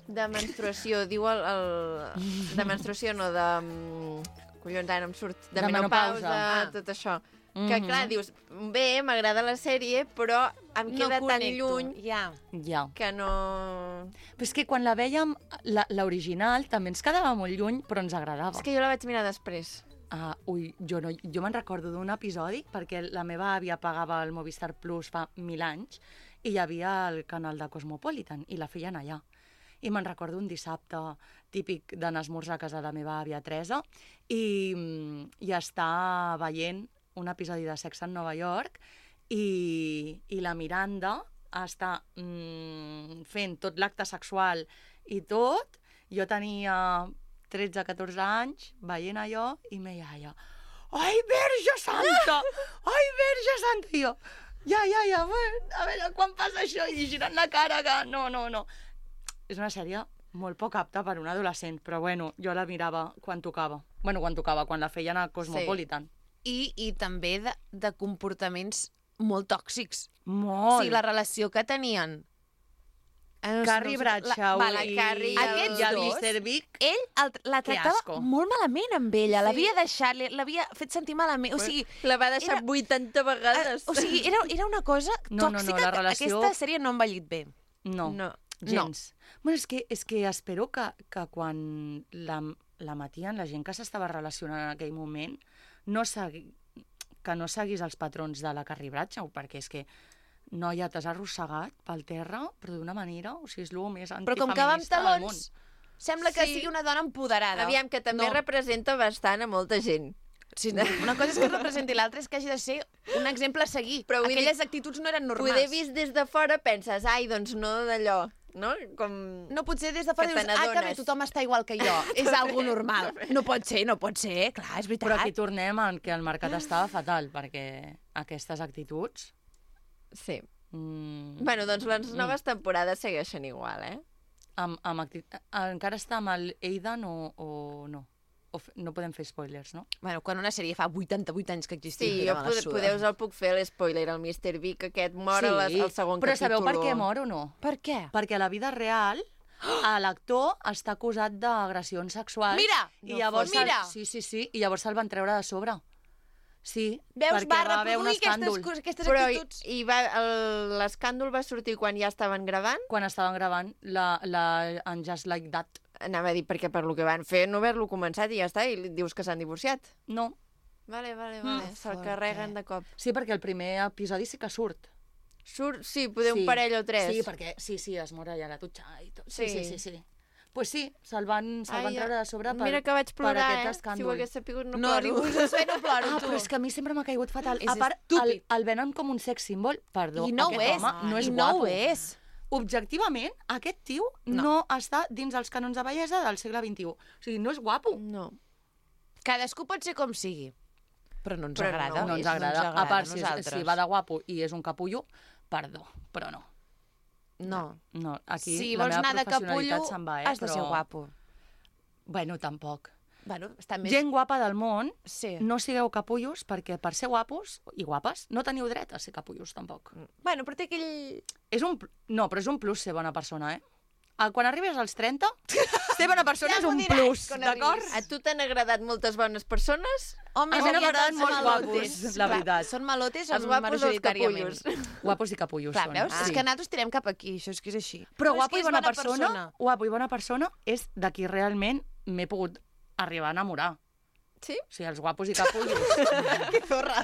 de menstruació, diu el... el de menstruació, no, de... mm, collons, ara no em surt. De, De menopausa, menopausa. Ah. tot això. Que, Mhm. clar, dius, bé, m'agrada la sèrie, però em queda tan lluny Ja. Ja. que no... Però és que quan la vèiem, la- l'original, també ens quedava molt lluny, però ens agradava. És que jo la vaig mirar després. Ah, ui, jo, no, jo me'n recordo d'un episodi, perquè la meva àvia pagava el Movistar Plus fa mil anys, i hi havia el canal de Cosmopolitan, i la feien allà. I me'n recordo un dissabte típic d'anar a esmorzar a casa de la meva àvia Teresa, i, mm, i estar veient un episodi de Sex en Nova York, i, i la Miranda està mm, fent tot l'acte sexual i tot. Jo tenia tretze catorze anys, veient allò, i me deia, ai, Verge Santa! Ai, Verge Santa! I jo, ja, ja, ja, a veure, quan passa això? I girant la cara, que no, no, no. És una sèrie molt poc apta per un adolescent, però bueno, jo la mirava quan tocava. Bueno, quan tocava, quan la feien a Cosmopolitan. I, i també de, de comportaments molt tòxics. Molt. O sigui, la relació que tenien. Eh, no sé, Carrie no sé, Bradshaw va, la i, Carrie i Aquests i el dos. mister Big. Ell el, la Que tractava asco. molt malament amb ella. Sí. L'havia deixat, li- l'havia fet sentir malament. O sigui, La va deixar Era- vuitanta vegades. eh, o sigui era, era una cosa No, no, no, tòxica la que relació- aquesta sèrie no ha envellit bé. No, No. gens. Bueno, és que, és que espero que, que quan la, la matien, la gent que s'estava relacionant en aquell moment, no segui, que no seguís els patrons de la Carrie Bradshaw, perquè és que, noia, t'has arrossegat pel terra, però d'una manera, o sigui, és el més Però com que va amb antifeminista del món. talons, sembla que Sí. sigui una dona empoderada. Aviam, que també No. representa bastant a molta gent. Sí, no. Una cosa és que representi, l'altra és que hagi de ser un exemple a seguir. Però vull dir, Aquelles actituds no eren normals. Poder vist des de fora penses, ai, doncs no d'allò, no? Com... No pot ser des de fora Que dius, te ah, que bé, n'adones." tothom està igual que jo. És algo normal. No pot ser, no pot ser, clar, és veritat. Però aquí tornem en que el mercat estava fatal, perquè aquestes actituds... Sí. Mm, Bueno, doncs les noves temporades segueixen igual, eh? amb, amb acti... Encara està amb el Aidan o, o no? O f... No podem fer spoilers, no? Bueno, quan una sèrie fa vuitanta-vuit anys que existia, Sí, mira, jo me la pod suda. podeu us el puc fer, l'espoiler, el mister Big, aquest mor a les, al segon però capítol. sabeu per què mor o no? Per què? Perquè a la vida real l'actor està acusat d'agressions sexuals. Mira! I No llavors fos- mira! El... Sí, sí, sí, i llavors se'l van treure de sobre. Sí, Veus, perquè va va haver un reproduir escàndol. aquestes, cos- aquestes Però i, actituds. i va, el- l'escàndol va sortir quan ja estaven gravant? Quan estaven gravant la, la en Just Like That. Anava a dir, perquè per lo que van fer no haver-lo començat i ja està, i li dius que s'han divorciat. No. Vale, vale, vale, Mm, se'l fort, carreguen eh? de cop. Sí, perquè el primer episodi sí que surt. Surt, sí, poder Sí. un parell o tres. Sí, perquè sí, sí, es mor allà a la dutxa i tot. Sí, Sí. sí, sí. sí. Pues sí, se'l van, se Ai, van treure de sobre per, Mira que vaig per plorar, aquest eh? escàndol. Si ho hagués sapigut no, No, ploro. ningú se sé, no ploro, Ah, tu. però és que a mi sempre m'ha caigut fatal. És a part, el, estúpid. el venen com un sex symbol. Perdó, I no ho aquest és, home no és i no guapo. ho és. Objectivament, aquest tio no. no està dins els cànons de bellesa del segle vint-i-u. O sigui, no és guapo. No. Cadascú pot ser com sigui, però no ens Però agrada. no, No ens És- agrada. A part, si, és, nosaltres. si va de guapo i és un capullo, perdó, però no. No. No, aquí Si la vols meva anar de professionalitat capullo, se'n va, eh? has de però... ser guapo. Bueno, tampoc. Bueno, està més... Gent guapa del món, Sí. no sigueu capullos, perquè per ser guapos i guapes no teniu dret a ser capullos, tampoc. Bueno, però té aquell... És un... pl- No, però és un plus ser bona persona, eh? Ah, Quan arribes als trenta, ser bona persona Ja és m'ho un diràs, plus, quan d'acord? arribis. A tu t'han agradat moltes bones persones? O més A mi aviat m'agraden els molt malotes. guapos, la Clar, veritat. Són malotes Els guapos o els majoritàriament. capullos? Guapos i capullos Clar, són. veus? Sí. És que nosaltres tirem cap aquí, això és que és així. Però és guapo que i és bona, persona, guapo i bona persona és de qui realment m'he pogut arribar a enamorar. Sí? O sigui, els guapos i capullos. Que zorra.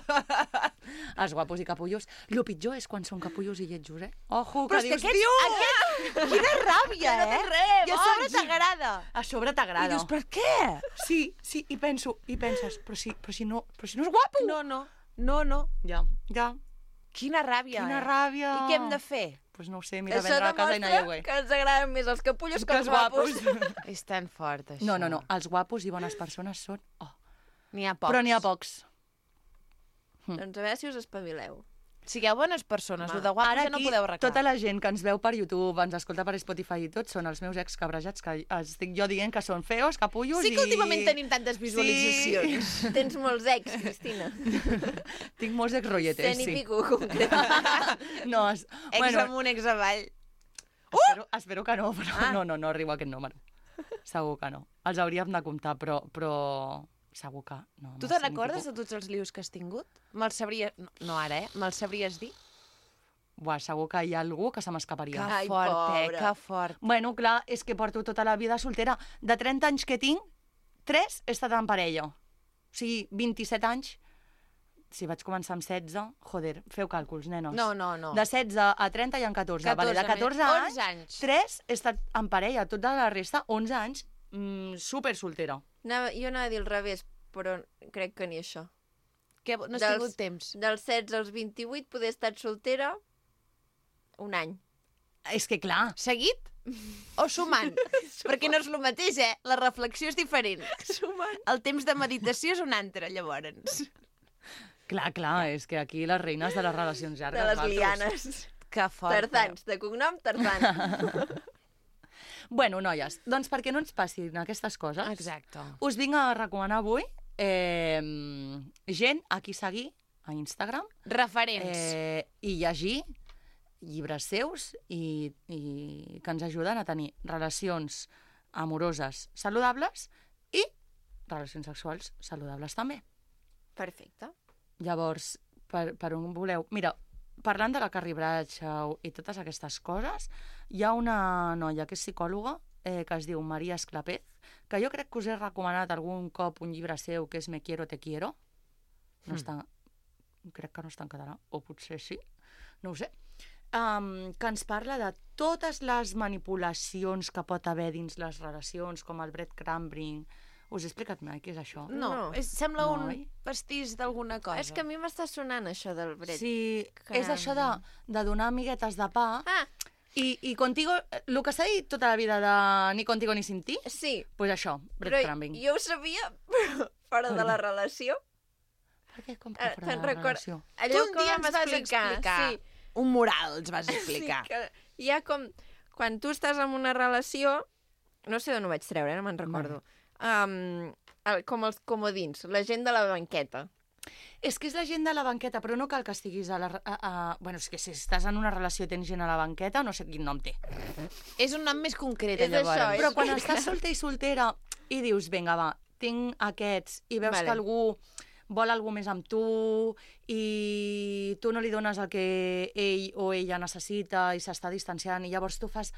Els guapos i capullos. Lo pitjor és quan són capullos i lletjos, eh? Ojo, Però que és que dius, aquest, tio! aquest... Quina ràbia, no eh? té res, I a sobre boig. t'agrada. A sobre I t'agrada. dius, per què? Sí, sí, i penso, i penses, però si, però si, no, però si no és guapo. No, no, no, no. Ja, ja. Quina ràbia, Quina eh? ràbia. I què hem de fer? Pues no ho sé, mira, Això vendre a casa i anar a demostra lloguer. que ens agraden més els capullos que Que els els guapos. guapos. És tan fort, això. No, no, no, els guapos i bones persones són... Oh. N'hi ha pocs. Però n'hi ha pocs. Doncs a veure si us espavileu. Sigueu bones persones, el de guapos Ara ja no aquí, podeu arreglar. tota la gent que ens veu per YouTube, ens escolta per Spotify i tot, són els meus ex cabrejats, que estic jo dient que són feos, capullos Sí que i... últimament tenim tantes visualitzacions. Sí. Tens molts ex, Cristina. Tinc molts ex rotlletes, Cent i sí. pico, concretament. No, es... Ex bueno, amunt, ex avall. espero, espero que no, però Ah. no, no, no arribo a aquest número. Segur que no. Els hauríem de comptar, però, però segur que no. Tu amb te els cent i recordes pico. de tots els lius que has tingut? Me'ls sabries... No, no ara, eh? Me'ls sabries dir? Buah, segur que hi ha algú que se m'escaparia. Que Ai, fort, eh? pobra. Que fort. Bueno, clar, és que porto tota la vida soltera. De trenta anys que tinc, tres he estat en parella. O sigui, vint-i-set anys. Si vaig començar amb setze, joder, feu càlculs, nenos. No, no, no. De setze a trenta hi ha catorze. Vale, de catorze, catorze anys, onze anys. tres he estat en parella. Tota la resta, onze anys, mm, super soltera. Anava, jo anava a dir al revés, però crec que ni això. Que no has Dels- tingut temps. Dels setze als vint-i-vuit poder estar soltera un any. És que clar, Seguit o sumant? Perquè no és el mateix, eh? La reflexió és diferent. Sumant. El temps de meditació és un altre, llavors. clar, clar, és que aquí les reines de les relacions llargues. De les vosaltres. lianes. Que fort. Tarzans, de cognom Tarzan. Bueno, noies, doncs perquè no ens passin aquestes coses, Exacte. us vinc a recomanar avui eh, gent a qui seguir a Instagram Referents. eh, i llegir llibres seus i, i que ens ajuden a tenir relacions amoroses saludables i relacions sexuals saludables també. Perfecte. Llavors, per, per on voleu... Mira, parlant de la Carrie Bradshaw i totes aquestes coses, hi ha una noia que és psicòloga eh, que es diu Maria Esclapez, que jo crec que us he recomanat algun cop un llibre seu que és Me quiero, te quiero. No Mm. està... Crec que no està en català, o potser sí, no ho sé. Um, que ens parla de totes les manipulacions que pot haver dins les relacions, com el breadcrumbing. Us he explicat mai què és això? No, No. és, sembla No, un oi? pastís d'alguna cosa. És que a mi m'està sonant això del bret. Sí, Caram. és això de, de donar amiguetes de pa Ah, i, i contigo, el que s'ha dit tota la vida de ni contigo ni sin ti, sí, pues això, però breadcrumbing. jo ho sabia, però fora de la relació. Per què com Eh, que fora te'n de la record- relació? Allò Tu un que dia vam ens vas explicar. explicar. Sí, Un mural ens vas explicar. sí, que hi ha com... Quan tu estàs en una relació... No sé d'on ho vaig treure, no me'n recordo. Um, el, com els comodins, la gent de la banqueta. És que és la gent de la banqueta, però no cal que estiguis a la... A, a... Bueno, és que si estàs en una relació i tens gent a la banqueta, no sé quin nom té. És un nom més concret, És llavors. això, és- Però quan estàs solter i soltera i dius, vinga, va, tinc aquests, i veus Vale. que algú vol alguna més amb tu i tu no li dones el que ell o ella necessita i s'està distanciant i llavors tu fas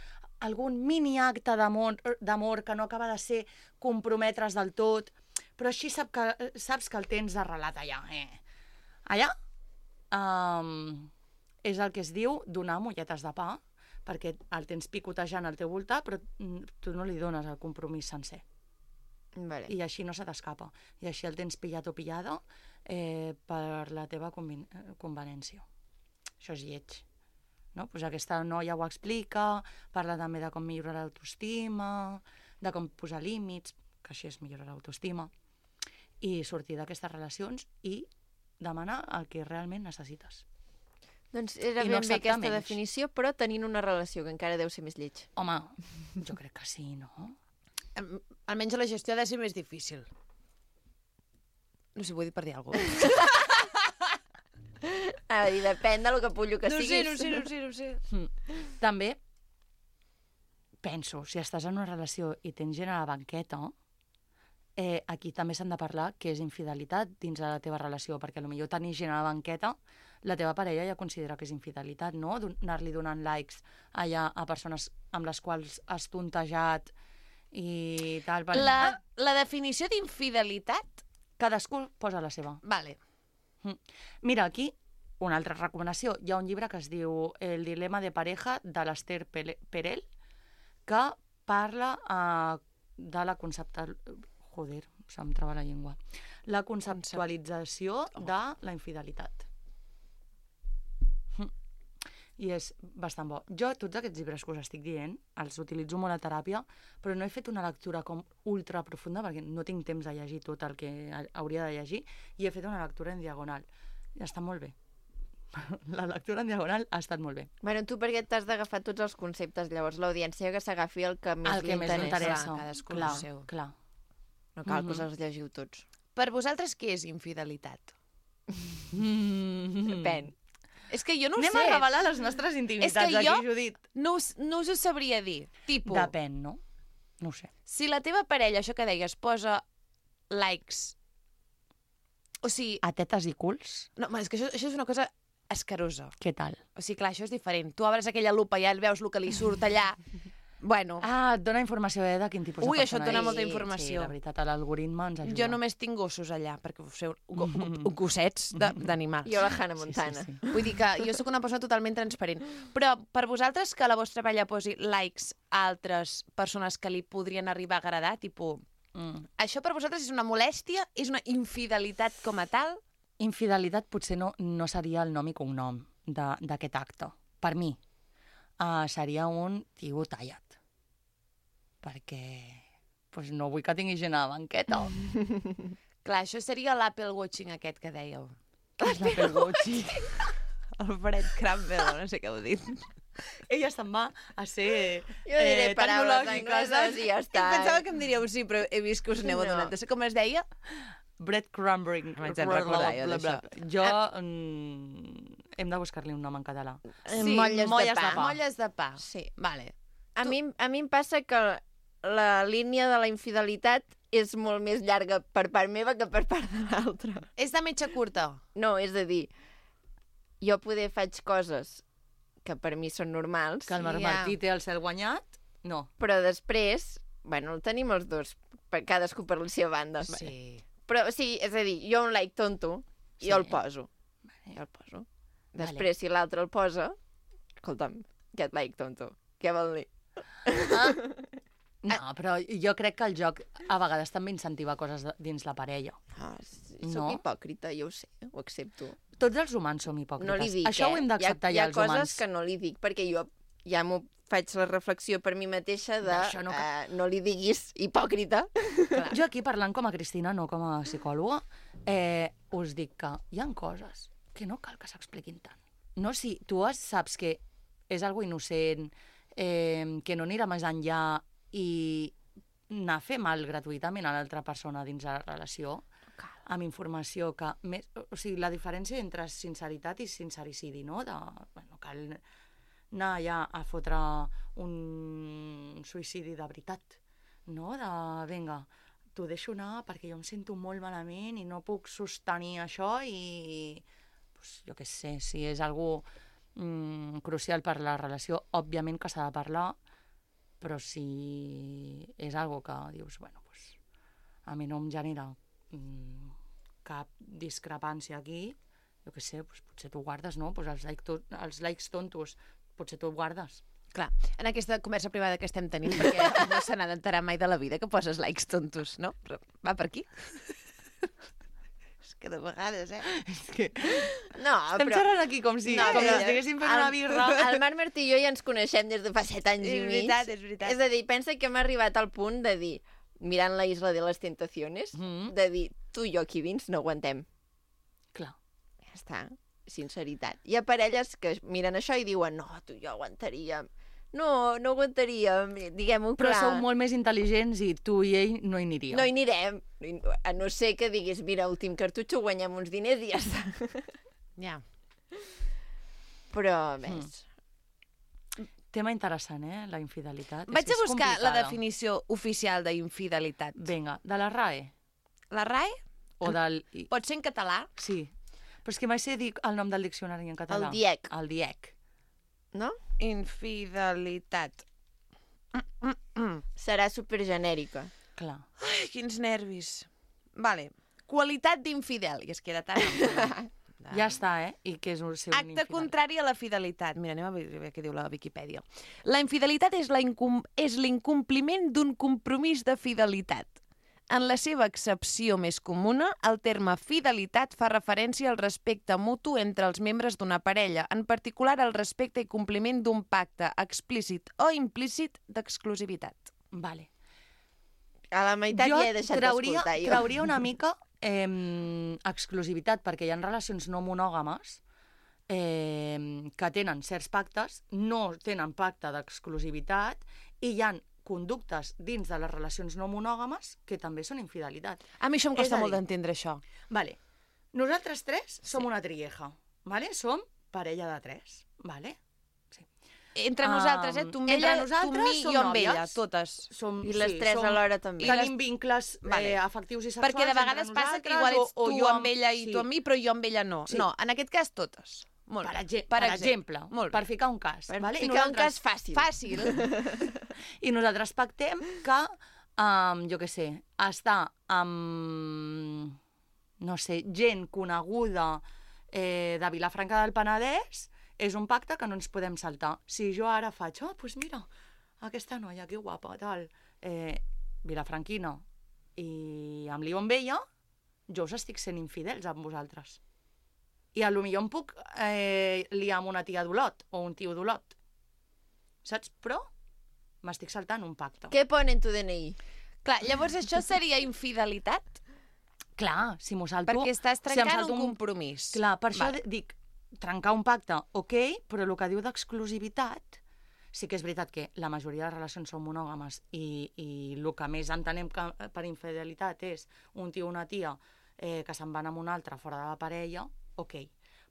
algun mini acte d'amor que no acaba de ser comprometre's del tot, però així sap que, saps que el tens arrelat allà. Eh? Allà um, és el que es diu donar molletes de pa, perquè el tens picotejant al teu voltant, però tu no li dones el compromís sencer. Vale. I així no se t'escapa. I així el tens pillat o pillada eh, per la teva conven convenència. Això és lleig. No? Pues aquesta noia ho explica, parla també de com millorar l'autoestima, de com posar límits, que així és millorar l'autoestima, i sortir d'aquestes relacions i demanar el que realment necessites. Doncs era I ben no bé aquesta acceptar menys. definició, però tenint una relació, que encara deu ser més lleig. Home, jo crec que sí, no? Em- Almenys la gestió ha de ser més difícil. No sé, vull dir per dir alguna cosa. Ah, i depèn del capullo que No sé, siguis. no sé, no sé, no sé. Mm. També penso, si estàs en una relació i tens gent a la banqueta, eh, aquí també s'han de parlar que és infidelitat dins de la teva relació, perquè potser tenir gent a la banqueta, la teva parella ja considera que és infidelitat, no? Anar-li donant likes allà a persones amb les quals has tontejat i tal. Per... La, la definició d'infidelitat... Cadascú posa la seva. Vale. Mm. Mira, aquí, una altra recomanació. Hi ha un llibre que es diu El dilema de pareja, de l'Esther Pele- Perel, que parla uh, de la conceptual... Joder, se'm trava la llengua. La conceptualització de la infidelitat. Mm. I és bastant bo. Jo, tots aquests llibres que us estic dient, els utilitzo molt a teràpia, però no he fet una lectura com ultra profunda, perquè no tinc temps de llegir tot el que ha- hauria de llegir, i he fet una lectura en diagonal. I està molt bé. La lectura en diagonal ha estat molt bé. Bueno, tu perquè t'has d'agafar tots els conceptes, llavors l'audiència que s'agafi el que més El li que més li interessa. interessa. Clar, cadascú clar, el seu. clar. No cal Mhm. que us els llegiu tots. Per vosaltres, què és infidelitat? Mm. Depèn. És que jo no ho Anem sé. a revelar les nostres intimitats És que aquí, jo- Judit. No us, no us ho sabria dir. Tipo, Depèn, no? No ho sé. si la teva parella, això que deies, posa likes... O sigui... A tetes i culs, No, home, és que això, això és una cosa escarosa. què tal? O sigui, clar, això és diferent. Tu obres aquella lupa i ja veus el que li surt allà. Bueno, Ah, et dona informació eh, de quin tipus Ui, de això et persona dona és. molta Sí, informació. Sí, la veritat, l'algoritme ens ajuda. jo només tinc gossos allà, perquè us feu go, go, gossets de- d'animals. Jo la Hannah Montana. Sí, sí, sí. Vull dir que jo sóc una persona totalment transparent. Però per vosaltres que la vostra parella posi likes a altres persones que li podrien arribar a agradar, tipus, Mm. això per vosaltres és una molèstia? És una infidelitat com a tal? Infidelitat potser no, no seria el nom i cognom de- d'aquest acte. Per mi, uh, seria un tio tallat. Perquè pues, no vull que tingui gent a la banqueta. Clar, això seria l'Apple Watching aquest que dèieu. És l'Apple Watch. El Fred Campbell, no sé què heu dit. Ella se'n va a ser Jo diré eh, paraules tecnològica, angleses i ja està. Pensava que em diríeu sí, però he vist que us aneu No. adonant. Com es deia? breadcrumbing. M'haig de recordar jo d'això. Jo... Mm, hem de buscar-li un nom en català. Eh, molles de molles pa. de pa. Molles de pa. Sí. Vale. A mi, a mi em passa que la línia de la infidelitat és molt més llarga per part meva que per part de l'altra. És de metxa curta. No, és a dir, jo poder faig coses que per mi són normals, Que el Marc Ja. Martí té el cel guanyat? No. però després, bueno, el tenim els dos, per cadascú per la seva banda. Sí. Però sí, és a dir, jo un like tonto, Sí. jo el poso. Jo el poso. Després, si l'altre el posa, escolta'm, aquest like tonto, què vol dir? No, però jo crec que el joc a vegades també incentiva coses de, dins la parella. Ah, sí, No. soc hipòcrita, jo ho sé, ho accepto. Tots els humans som hipòcrites. No li dic, Això eh? ho hem d'acceptar hi ha, ja, hi els ha coses humans. que no li dic, perquè jo ja m'ho faig la reflexió per mi mateixa de D'això no no, cal- uh, no li diguis hipòcrita. Jo aquí, parlant com a Cristina, no com a psicòloga, eh, us dic que hi han coses que no cal que s'expliquin tant. No, si tu has- saps que és algo innocent, eh, que no anirà més enllà i anar a fer mal gratuïtament a l'altra persona dins la relació, amb informació que... Més, o sigui, la diferència entre sinceritat i sincericidi, no? De, bueno, cal anar allà a fotre un suïcidi de veritat, no? De, vinga, t'ho deixo anar perquè jo em sento molt malament i no puc sostenir això i, pues, jo què sé, si és algú mm, crucial per la relació, òbviament que s'ha de parlar, però si és algo que dius, bueno, pues, a mi no em genera mm, cap discrepància aquí, jo què sé, pues, potser t'ho guardes, no? Pues els, like to, els likes tontos, potser t'ho guardes. Clar, en aquesta conversa privada que estem tenint, perquè no se n'ha d'enterar mai de la vida que poses likes tontos, no? Però va per aquí. És que de vegades, eh? És que No, estem però... xerrant aquí com si, No, com si però- estiguéssim fent el- una birra. El Marc Martí i jo ja ens coneixem des de fa set anys És i mig. veritat, és veritat. És a dir, pensa que hem arribat al punt de dir, mirant la Isla de les Tentaciones, Mm. de dir, tu i jo aquí dins no aguantem. Clar. Ja està, sinceritat. Hi ha parelles que miren això i diuen, no, tu i jo aguantaríem. No, no aguantaríem, diguem-ho Però clar. sou molt més intel·ligents i tu i ell no hi aniríeu. No hi anirem, a no ser que diguis, mira, últim cartutxo, guanyem uns diners i ja està. Ja. Però, més... Tema interessant, eh? La infidelitat. És Vaig que a és buscar la complicada. definició oficial d'infidelitat. Vinga, de la R A E. La R A E O del... pot ser en català? Sí. Però és que mai sé dir el nom del diccionari en català. El DIEC. El DIEC. No? Infidelitat. Serà supergenèrica. Clar. Ai, quins nervis. Vale. Qualitat d'infidel. I es queda tan ample. Ja està, eh? I què és un ser un Acte infidel? contrari a la fidelitat. Mira, anem a veure què diu la Viquipèdia. La infidelitat és la incom- és l'incompliment d'un compromís de fidelitat. En la seva accepció més comuna, el terme fidelitat fa referència al respecte mutu entre els membres d'una parella, en particular al respecte i compliment d'un pacte explícit o implícit d'exclusivitat. Vale. A la meitat jo ja he deixat trauria, d'escoltar, jo. trauria una mica eh, exclusivitat, perquè hi ha relacions no monògames eh, que tenen certs pactes, no tenen pacte d'exclusivitat, i hi ha conductes dins de les relacions no monògames que també són infidelitat. A mi això em És costa a molt dir- d'entendre, això. Vale. Nosaltres tres som una trieja, vale? Som parella de tres, vale? Sí. Entre nosaltres, eh? Tu amb Entre ella, tu nosaltres amb mi i som jo amb nòvies. ella, totes. Som, I les tres som, alhora també. Tenim vincles Vale. eh, afectius i sexuals Perquè de vegades entre passa que nosaltres, igual ets o, o tu jo amb ella i sí. tu amb mi, però jo amb ella no. Sí. No, en aquest cas totes. Molt Per, bé. exemple, per exemple, Molt bé. per ficar un cas. Per vale? I ficar un nosaltres- cas fàcil. Fàcil. I nosaltres pactem que, um, jo què sé, estar amb, no sé, gent coneguda eh, de Vilafranca del Penedès és un pacte que no ens podem saltar. Si jo ara faig, oh, doncs mira, aquesta noia, que guapa, tal, eh, vilafranquina, i amb l'Ion Vella, jo us estic sent infidels amb vosaltres. I a lo millor em puc eh, liar amb una tia d'Olot o un tio d'Olot. Saps? Però m'estic saltant un pacte. Què pone en tu D N I? Clar, llavors això seria infidelitat? Clar, si m'ho salto... Perquè estàs si em trencant salto un compromís. Clar, per això Vale. dic, trencar un pacte, ok, però el que diu d'exclusivitat, sí que és veritat que la majoria de relacions són monògames i, i el que més entenem que per infidelitat és un tio o una tia eh, que se'n van amb un altre fora de la parella, ok.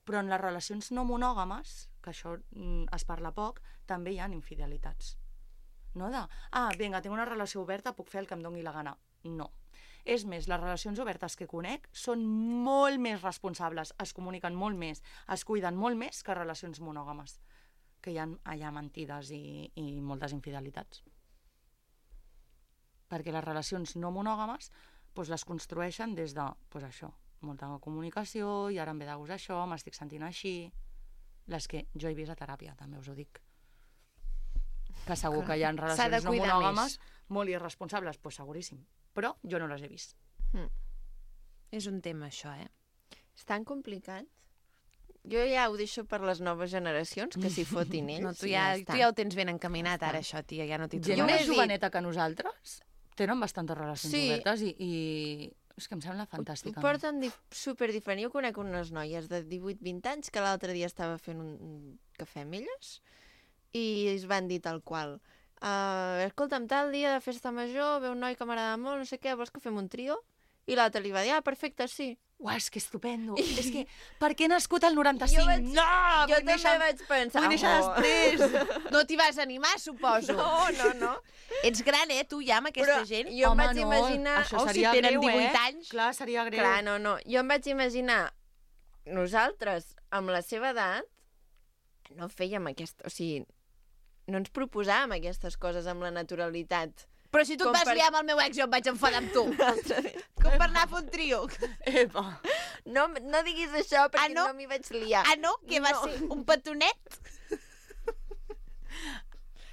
Però en les relacions no monògames, que això mm, es parla poc, també hi ha infidelitats. No de, ah, vinga, tinc una relació oberta, puc fer el que em doni la gana. No. És més, les relacions obertes que conec són molt més responsables, es comuniquen molt més, es cuiden molt més que relacions monògames, que hi ha allà mentides i, i moltes infidelitats. Perquè les relacions no monògames doncs les construeixen des de, doncs això, molta comunicació, i ara em ve de gust això, m'estic sentint així. Les que jo he vist a teràpia, també us ho dic. Que segur que hi ha S'ha de relacions no cuidar monògames molt irresponsables, doncs seguríssim. Però jo no les he vist. És un tema, això, eh? És tan complicat. Jo ja ho deixo per les noves generacions, que s'hi fotin ells. No, tu i ja, està. tu ja ho tens ben encaminat, ara, això, tia, ja no t'hi Gent Jo trobaràs. m'he més dit- joveneta que nosaltres tenen bastantes relacions Sí. obertes i, i és que em sembla fantàstic. Ho porten dif super diferent. Jo conec unes noies de divuit vint anys que l'altre dia estava fent un, un cafè amb elles i es van dir tal qual. Uh, escolta'm, tal dia de festa major ve un noi que m'agrada molt, no sé què, vols que fem un trio? I l'altre li va dir, ah, perfecte, sí. Uah, és que estupendo. És que, per què he nascut el noranta-cinc? Jo vaig- No! Jo vull també néixer- vaig pensar, Vull néixer oh. després. No t'hi vas animar, suposo. No, no, no. Ets gran, eh, tu ja, amb aquesta Però gent? jo em Home, vaig no, imaginar... això Oh, si seria tenen greu, divuit eh? anys. Clar, seria greu. Clar, no, no. Jo em vaig imaginar nosaltres, amb la seva edat, no fèiem aquesta... O sigui, no ens proposàvem aquestes coses amb la naturalitat. Però si tu Com et vas per- liar amb el meu ex, jo em vaig enfadar amb tu. Com per anar a fer un trio. Epa. No, no diguis això, perquè Ah, no? no, m'hi vaig liar. Ah, no? Que va No. ser un petonet?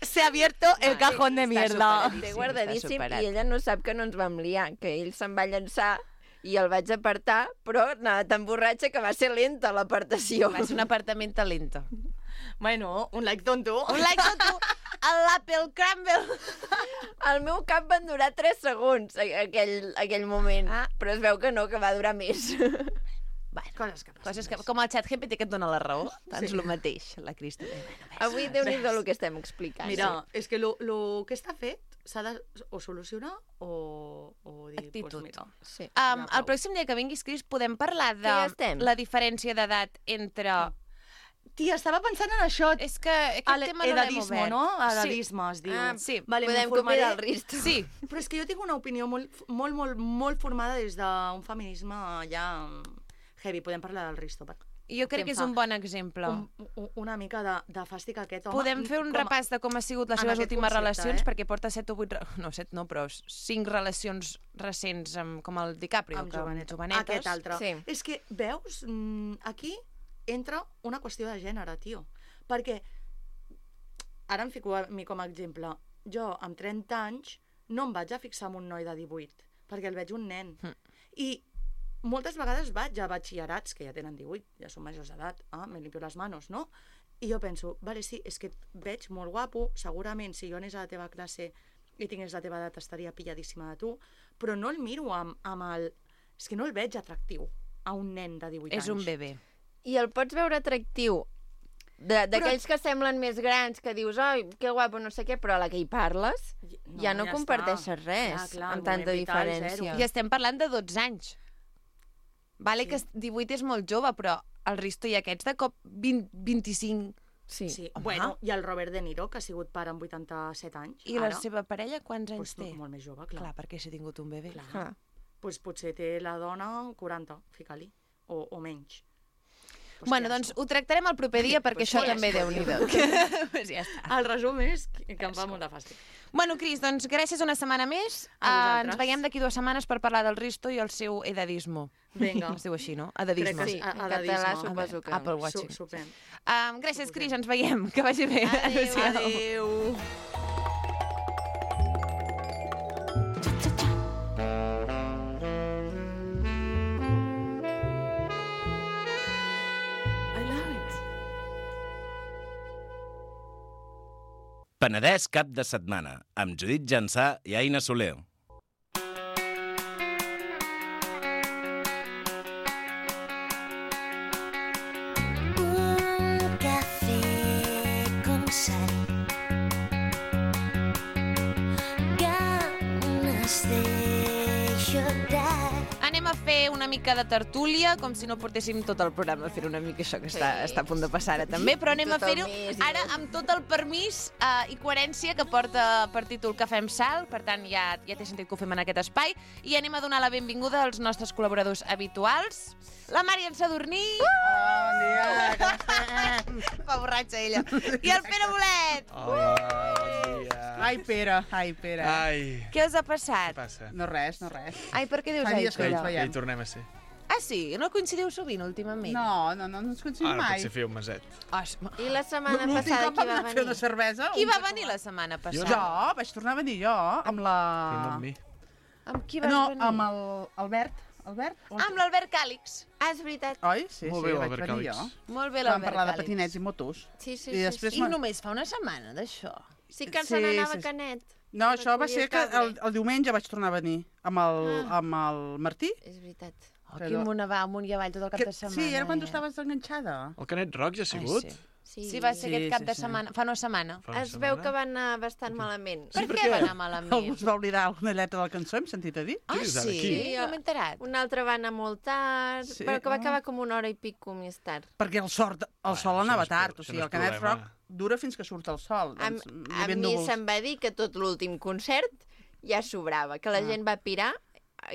Se ha abierto el cajón de Està mierda. superadíssim. Té Sí, guardadíssim està superat. i ella no sap que no ens vam liar, que ell se'n va llançar i el vaig apartar, però anava tan borratxa que va ser lenta l'apartació. Va ser un apartament talento. Bueno, un like tonto. Un like a tu, a l'Apple Crumble. Al meu cap van durar tres segons, a- aquell, aquell moment. Ah. Però es veu que no, que va durar més. Bueno, Coses que passen. coses que, com el xat G P T que et dona la raó, doncs el mateix, la Cristina. Avui déu-n'hi-do el que estem explicant. Mira, és que el que està fet s'ha de o solucionar o, o dir, Actitud. pues mira, Sí. Um, Ja, el prou. pròxim dia que vinguis, Cris, podem parlar de Que ja estem. la diferència d'edat entre... Tia, estava pensant en això. És que aquest El tema no l'hem edadisme, obert. no? Edadisme es diu. Ah, sí. Vale, Podem m'informaré. convidar el Risto. Sí, Però és que jo tinc una opinió molt, molt, molt, molt formada des d'un feminisme ja heavy. Podem parlar del Risto. Per... jo crec Què que em és fa? un bon exemple. Un, un, una mica de, de fàstic aquest home. Podem fer un com a- repàs de com ha sigut les en seves aquest últimes concepte, relacions, eh? perquè porta set o vuit... re- No, set no, però cinc relacions recents amb, com el DiCaprio, amb que amb joveneta. jovenetes. Aquest altre. Sí. És que, veus, mm, aquí entra una qüestió de gènere, tio. Perquè, ara em fico a mi com a exemple, jo amb trenta anys no em vaig a fixar en un noi de divuit, perquè el veig un nen. Mm. I moltes vegades vaig a batxillerats, que ja tenen divuit, ja són majors d'edat, ah, me limpio les manos, no? I jo penso, vale, sí, és que et veig molt guapo, segurament si jo anés a la teva classe i tingués la teva edat estaria pilladíssima de tu, però no el miro amb, amb el... És que no el veig atractiu a un nen de divuit anys. És un bebè. I el pots veure atractiu de- d'aquells que semblen més grans, que dius, oi, que guapo, no sé què, però a la que hi parles No, ja no ja comparteixes està. res Clar, clar, amb el tanta moment vital, diferència. I estem parlant de dotze anys. Vale, Sí. que divuit és molt jove, però el Risto i aquests de cop vint, vint-i-cinc. Sí. Sí, Home. bueno, i el Robert De Niro, que ha sigut pare amb vuitanta-set anys, I la ara, seva parella quants anys doncs, té? molt més jove, clar. Clar, perquè s'ha tingut un bebè. Clar. Clar. Pues potser té la dona quaranta, fica-li, o, o menys. Pues Bueno, que doncs ho tractarem el proper dia, perquè Pues això ja també està. déu-n'hi-do. Pues ja està. El resum és que que em fa molt de fàstic. Bueno, Cris, doncs gràcies una setmana més. A Uh, vosaltres. ens veiem d'aquí dues setmanes per parlar del Risto i el seu edadismo. Vinga. Es diu així, no? Crec Edadisme. que Sí, a- en edadisme. català A suposo que... Apple Su Watching. Suprem. Um, gràcies, Cris, ens veiem. Que vagi bé. Adéu. Adéu. Penedès cap de setmana, amb Judit Jansà i Aina Soler. Un café con sal. Ganas de llorar. Anem a fer una mica de tertúlia, com si no portéssim tot el programa a fer una mica això que està, Sí. està a punt de passar ara també, però anem Tot a el fer-ho mes i ara tot. amb tot el permís uh, i coherència que porta per títol Cafè amb Sal, per tant ja, ja té sentit que ho fem en aquest espai, i anem a donar la benvinguda als nostres col·laboradors habituals, la Màriam Sadurní, Bon dia, com estem? fa borratxa ella, i el Pere Bolet. Hola, bon dia. Ai, Pere, ai, Pere. Ai, Què us ha passat? què passa? No res, no res. Ai, per què dius Fa ai, dies que Pere? ens Ja veiem. hi tornem a ser. Ah, sí? No coincidiu sovint últimament? No, no, no, no ens coincidim Ara mai. potser fer un meset. Os, I la setmana L'últim passada cop qui vam va anar a fer una venir? cervesa... qui un va cop- venir la setmana Jo passada? Jo, vaig tornar a venir jo, amb la... No amb mi. Amb qui vas No, venir? amb el Albert. Albert? On- Ah, amb l'Albert Càlix. Ah, és veritat. Oi? Sí, Molt sí, bé, vaig l'Albert venir Càlix. jo. Molt bé, Vam l'Albert parlar de Càlix. patinets i motos. Sí, sí, I sí. després I ma- només fa una setmana d'això. Sí que Sí, se n'anava sí, a sí. Canet. No, això va Recollir ser el que cable. el, el diumenge vaig tornar a venir amb el, Ah. amb el Martí. És veritat. Oh, Però- quin amunt va, amunt i avall tot el cap Que, de setmana. sí, era quan tu eh? estaves enganxada. El Canet Rock ja ha sigut? Ai, sí. Sí, Sí, va ser Sí, aquest cap sí, de sí. setmana, fa una setmana. Fa una Es veu setmana? que va anar bastant malament. Per què va anar malament? Algú es va oblidar alguna lletra de la cançó, hem sentit a dir? Ah, dius ara, sí? qui? No m'he enterat. Un altre va anar molt tard, Sí, però que va ah. acabar com una hora i pico més tard. Perquè el, sort, el sol això anava no és tard, pro- o això sigui, no el és Canet problema. Rock dura fins que surt el sol. A, Doncs, hi a havia mi núvols. se'm va dir que tot l'últim concert ja sobrava, que la Ah. gent va pirar,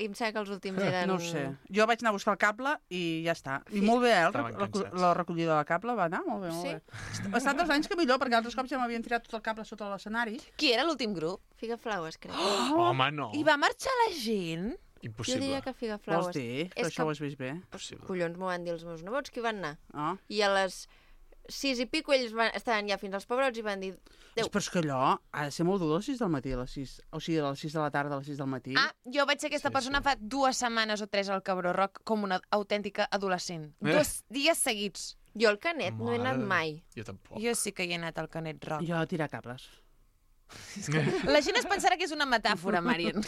i em sembla que els últims eren... No ho sé. Jo vaig anar a buscar el cable i ja està. I molt bé, eh? el Estaven recu- cansats. la recollida del cable va anar molt bé, molt Sí? bé. Ha estat dos anys que millor, perquè altres cops ja m'havien tirat tot el cable sota l'escenari. Qui era l'últim grup? Figaflaues, crec. Oh! Home, no. I va marxar la gent? Jo Impossible. diria que Vols Figaflaues. dir? Que És això que- ho has vist bé? Impossible. Collons, m'ho van dir els meus nebots, que hi van anar. Ah. I a les sis i pico ells van, estaven ja fins als pebrots i van dir... Déu. Però és que allò ha de ser molt dur a les sis del matí, a les sis. O sigui, a les sis de la tarda, a les sis del matí. Ah, jo vaig ser aquesta Sí, persona sí. fa dues setmanes o tres al Cabró Rock com una autèntica adolescent. Eh. Dos dies seguits. Jo al Canet no he anat Mare. mai. Jo tampoc. Jo sí que hi he anat al Canet Rock. Jo a tirar cables. La gent es pensarà que és una metàfora, Marian.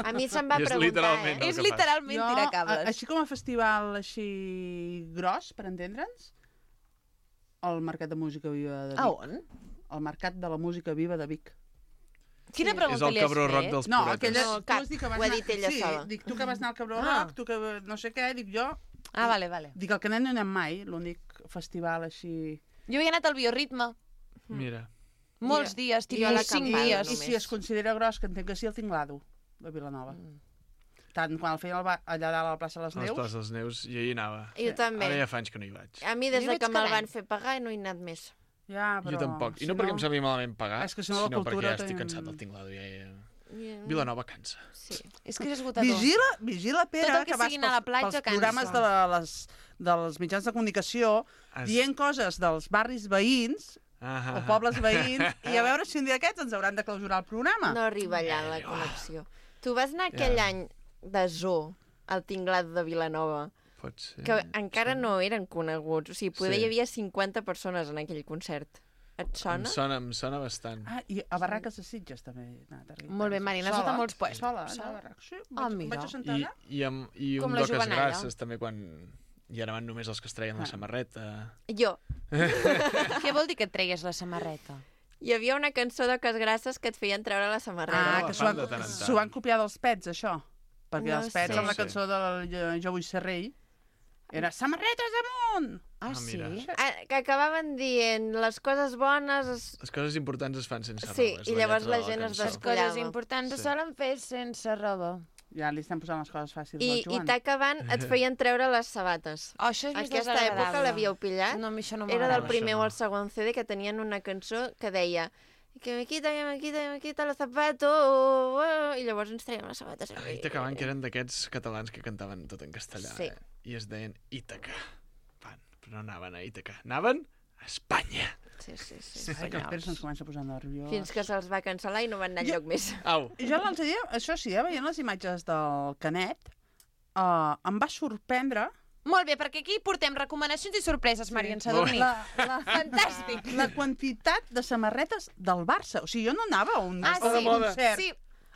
A mi se'm va I és preguntar, literalment eh? el És que fas. literalment tirar a- cables. així com a festival així gros, per entendre'ns, el Mercat de Música Viva de Vic. A on? El Mercat de la Música Viva de Vic. Quina Sí. És pregunta el li has Cabró Rock fet? dels No, puretes. aquella... No, tu cap. has dit que vas Ho ha anar... dit ella sí, sola. dic tu que vas anar al Cabró Ah. Rock, tu que no sé què, dic jo... Ah, vale, vale. Dic, al Canet no hi anem mai, l'únic festival així... Jo he anat al Bioritme. Mira. Molts I- dies, i jo a la tipus cinc Campada, I, dies. I si es considera gros, que entenc que sí, el Tinglado, de Vilanova. Mm. Tant quan el feien al ba- allà dalt a la plaça de les A les Neus... places dels Neus, jo hi anava. Jo també. Ara ja fa anys que no hi vaig. A mi des Jo de vaig que me'l cada van any. fer pagar no he anat més. Ja, però... Jo tampoc. I si no perquè em sembli malament pagar, És que si no la sinó cultura perquè ja estic tenim- cansat del tinglado. Ja, ja... I- Vilanova cansa. Sí. És que és esgotador. Vigila, vigila, Pere, Tot el que vas sigui anar a la pels- platja pels cansa. programes de la, les, dels mitjans de comunicació Es- dient coses dels barris veïns Ah, o pobles veïns i a veure si un dia aquests ens hauran de clausurar el programa. No arriba allà la connexió. Tu vas anar aquell Ja. any de zoo al Tinglat de Vilanova, Pot ser. que encara no eren coneguts. O sigui, poder Sí. hi havia cinquanta persones en aquell concert. Et Em sona? sona, em sona bastant. Ah, i a Barraques de Sitges també he anat a arribar. Molt bé, Marina, has anat a molts puestos. Sola, Sola. a Barraques, sí. Ah, Vaig, mira. vaig assentar I, allà. i, amb, i Com un la d'oques Jovenalla. grasses, també, quan hi anaven només els que es treien la Ah. samarreta. Jo. Què vol dir que et tregues la samarreta? Hi havia una cançó d'Oques Grasses que et feien treure la samarreta. Ah, la que s'ho fan van, de tant en tant. s'ho van copiar dels Pets, això. Perquè No els Pets, sé. amb la No sé. cançó del Jo- Jo vull ser rei, era samarretes amunt! Ah, Ah, sí? mira. Ah, que acabaven dient les coses bones... Es... Les coses importants es fan sense Sí, roba. és i llavors lletra la de gent es cançó. Les coses Descollava. importants Sí. se solen fer sense roba. Ja li estan posant les coses fàcils I, al i Joan. t'acabant et feien treure les sabates. Oh, això és més Aquesta desagradable. època l'havíeu pillat? No, a mi això no Era m'agrada. del primer Això o no. el segon C D que tenien una cançó que deia que me quita, que me quita, que me quita los zapatos i llavors ens traiem les sabates. Ai, t'acaben que eren d'aquests catalans que cantaven tot en castellà. Sí. Eh? I es deien Ítaca. Van, però no anaven a Ítaca. Anaven a Espanya. Sí, sí, sí. Ai, que el Pere se'ns comença a posar nerviós. Fins que se'ls va cancel·lar i no van anar Jo- enlloc més. Au. Jo l'altre dia, això sí, eh, veient les imatges del Canet, uh, em va sorprendre Molt bé, perquè aquí portem recomanacions i sorpreses, Marian Sadurní. la, la, Fantàstic. la quantitat de samarretes del Barça. O sigui, jo no anava a un, Ah, a un sí? concert Sí.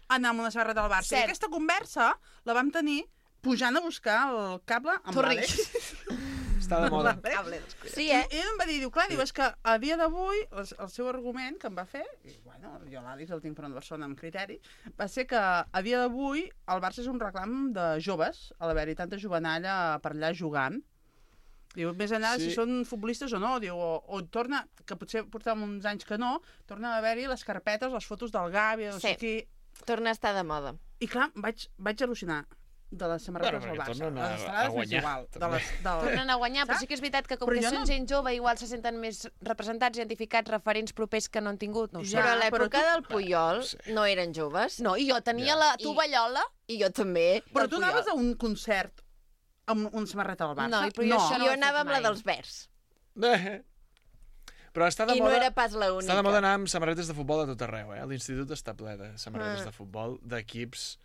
a anar amb una samarreta del Barça. Cert. I aquesta conversa la vam tenir pujant a buscar el cable amb Torri. l'Àlex. Està de moda. Sí, I eh? ell em va dir, diu, clar, diu, és que a dia d'avui el, el seu argument que em va fer, i bueno, jo l'Àlex el tinc per una persona amb criteri, va ser que a dia d'avui el Barça és un reclam de joves, a l'haver-hi tanta jovenalla per allà jugant. Diu, més enllà Sí. si són futbolistes o no, diu, o, o torna, que potser portàvem uns anys que no, torna a haver-hi les carpetes, les fotos del Gavi, no Sí. sé qui... Torna a estar de moda. I clar, vaig, vaig al·lucinar de les samarretes Bueno, del perquè Barça. tornen a- Les estrades a guanyar, m'és igual. De també. les, del... Tornen a guanyar, però Saps? sí que és veritat que com Però que jo són no- gent jove, igual se senten més representats, identificats, referents propers que no han tingut, no ho sé. Ja, Però a però l'època tu- del Puyol sí. no eren joves. No, i jo tenia Ja. la I- tovallola. I jo també. Però del tu Puyol. anaves a un concert amb una samarreta del Barça? No, i però jo això no Jo ho he anava fet amb la mai. dels verds. Eh. Però està de I no moda... era pas l'única. Està de moda anar amb samarretes de futbol a tot arreu, eh? L'institut està ple de samarretes Ah. de futbol, d'equips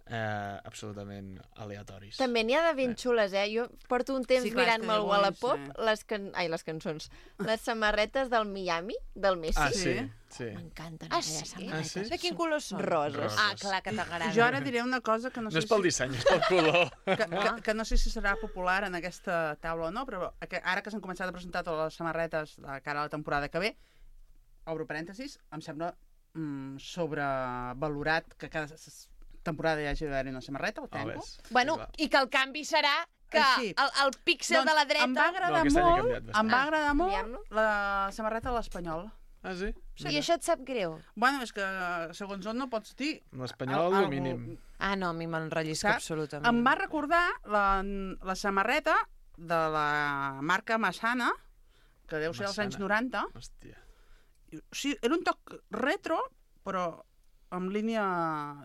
eh, absolutament aleatoris. També n'hi ha de ben xules, eh? Jo porto un temps Sí, clar, és mirant-me que al avui, Wallapop sí. les, can... Ai, les cançons, les samarretes del Miami, del Messi. Ah, sí? Sí. M'encanten Ah, aquelles sí? samarretes. Ah, sí? De quin color són? Roses. Ah, clar, que t'agrada. Jo ara diré una cosa que no No sé és pel si... disseny, és pel color. Que, que, que no sé si serà popular en aquesta taula o no, però que ara que s'han començat a presentar totes les samarretes de cara a la temporada que ve, obro parèntesis, em sembla mm, sobrevalorat que cada s- temporada hi hagi d'haver una samarreta, ho tanco. Bueno, i que el canvi serà que Així. el, el píxel Doncs de la dreta... em va agradar No, aquest any ha molt, canviat bastant. em va Ah, agradar molt canviem-lo? la samarreta de l'Espanyol. Ah, sí? I això et sap greu? Bueno, és que segons on no pots dir... L'Espanyol, al- el algú- mínim. Ah, no, a mi m'enrellisca Saps? absolutament. Em va recordar la, la samarreta de la marca Massana, que deu ser dels Massana. anys noranta. Hòstia. Sí, era un toc retro, però amb línia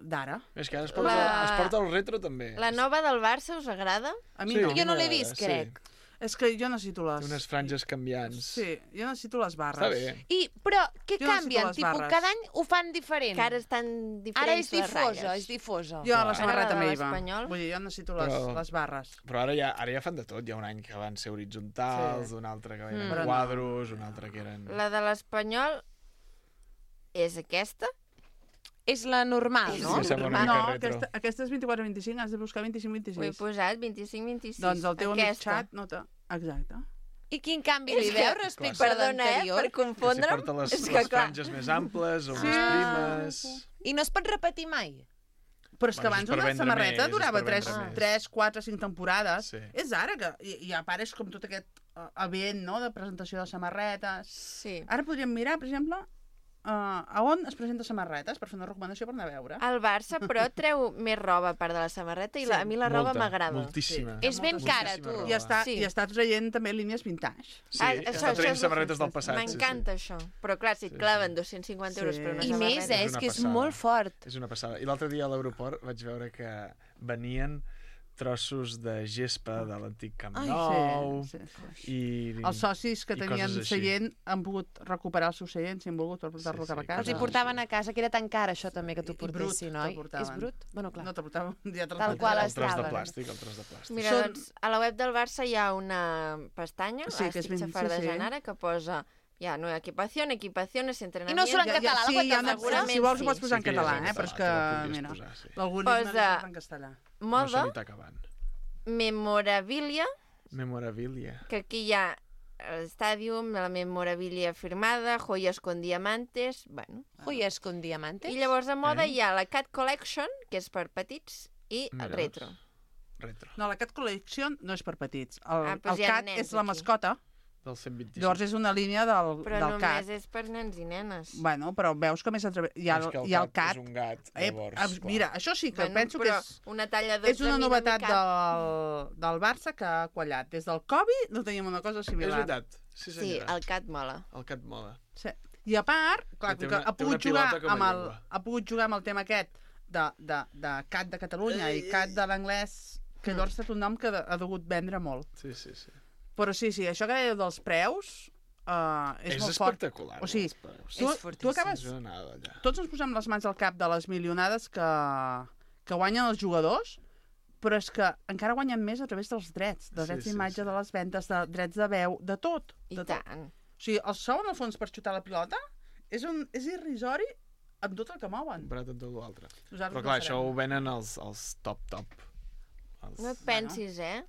d'ara. És que ara es porta, La- es porta el retro, també. La nova del Barça us agrada? A mi Sí, no. a mi Jo no l'he m'agrada, vist, sí. crec. És que jo necessito les... Té unes franges canviants. Sí, jo necessito les barres. Està bé. I, però, què Jo necessito canvien? les Tipus, barres. cada any ho fan diferent. Que ara estan diferents Ara és les difosa, ratlles. és difosa. Jo a la Clar. samarreta M'agrada meva. l'Espanyol. Vull dir, jo necessito les, Però- les barres. Però ara ja, ara ja fan de tot. Hi ha un any que van ser horitzontals, Sí. un altre que eren Mm. Però no. quadros, un altre que eren... La de l'Espanyol és aquesta? És la normal, És no? Sí, sembla una No, mica retro. aquesta, aquesta és vint-i-quatre vint-i-cinc, has de buscar vint-i-cinc Ho he vint-i-sis. posat, vint-i-cinc vint-i-sis. Doncs el teu amic aquesta. xat nota. Exacte. I quin canvi li És que- veu respecte a Perdona, eh, l'anterior? per Que si confondre'm. porta les, és que, les clar, franges més amples o Sí. més primes... I no es pot repetir mai? Però és que Bueno, és abans per una vendre samarreta més, és durava per vendre tres, més. tres, quatre, cinc temporades. Sí. És ara que... I, i a part és com tot aquest uh, event, no?, de presentació de samarretes. Sí. Ara podríem mirar, per exemple, uh, a on es presenta samarretes per fer una recomanació per anar a veure. El Barça, però, treu més roba a part de la samarreta i la, a mi la roba Molta, m'agrada. Moltíssima. És ben moltíssima cara, tu. roba. I està, Sí. i està traient també línies vintage. Sí, Ah, està això- això traient és- samarretes del passat. M'encanta això. Però clar, si et Sí, claven dos-cents cinquanta euros Sí. per una I samarreta... més, eh? És És una que és passada. molt fort. És una passada. I l'altre dia a l'aeroport vaig veure que venien trossos de gespa de l'antic Camp Ai, Nou sí, sí, sí. i... Els socis que i tenien coses així. seient han pogut recuperar el seu seient si han volgut per portar-lo Sí, cap a sí, casa. Els hi portaven a casa, que era tan car això també que t'ho I- i brut portessin, te'l oi? portaven. És brut? Bueno, clar. No te portaven ja te'l Tal portaven. qual el tros de estaven. plàstic, el tros de plàstic. Mira, Són- doncs, a la web del Barça hi ha una pestanya, Sí, que és estic ben- xafardejant sí, sí. ara, que posa ja, no, equipació, equipacions, I entrenament... no surt en Ja- ja- català, la sí, web hi ha del una- Barça? si vols ho pots Sí. posar en Sí que ja és català, en eh? Però és català, que, te la podries mira, posar, sí. l'algoritme Posa- no surt en castellà. No Moda, se li està acabant. memorabilia, Memorabilia. que aquí hi ha l'estàdium, la memorabilia firmada, joies con diamantes... Bueno. Joies con diamantes? I llavors a moda Eh? hi ha la Cat Collection, que és per petits, i Mira, retro. Retro. No, la Cat Collection no és per petits. El, Ah, doncs el hi ha Cat nens és la aquí. mascota, Del cent vint-i-cinc. llavors és una línia del, Però del només Cat. és per nens i nenes. Bueno, però veus que més atreve... Hi ha, És que el hi ha el cat Cat. és un gat, Eh, llavors, eh, clar. mira, això sí que Bueno, penso que però és, una talla dotze és una a mi no novetat m'hi cap. del, del Barça que ha quallat. Des del Covid no teníem una cosa És similar. veritat. Sí, Sí, senyora. el Cat mola. El cat mola. Sí. I a part, clar, I té com que una- ha té una pogut, jugar pilota com a amb el, llengua. ha pogut jugar amb el tema aquest de, de, de Cat de Catalunya i Cat de l'anglès, que llavors ha estat un nom que ha degut vendre molt. Sí, sí, sí. Però sí, sí, això que dèieu dels preus uh, és, És molt fort. espectacular. O sigui, els preus. tu, És tu fortíssim. acabes... És una anada allà. Tots ens posem les mans al cap de les milionades que, que guanyen els jugadors, però és que encara guanyen més a través dels drets, de Sí, drets sí, d'imatge, sí. de les ventes, de drets de veu, de tot. I De tot. tant. O sigui, el sou en el fons per xutar la pilota és, un, és irrisori amb tot el que mouen. Comparat amb tot l'altre. Nosaltres Però clar, no això farem. ho venen els, els top, top. Els... No et pensis, eh?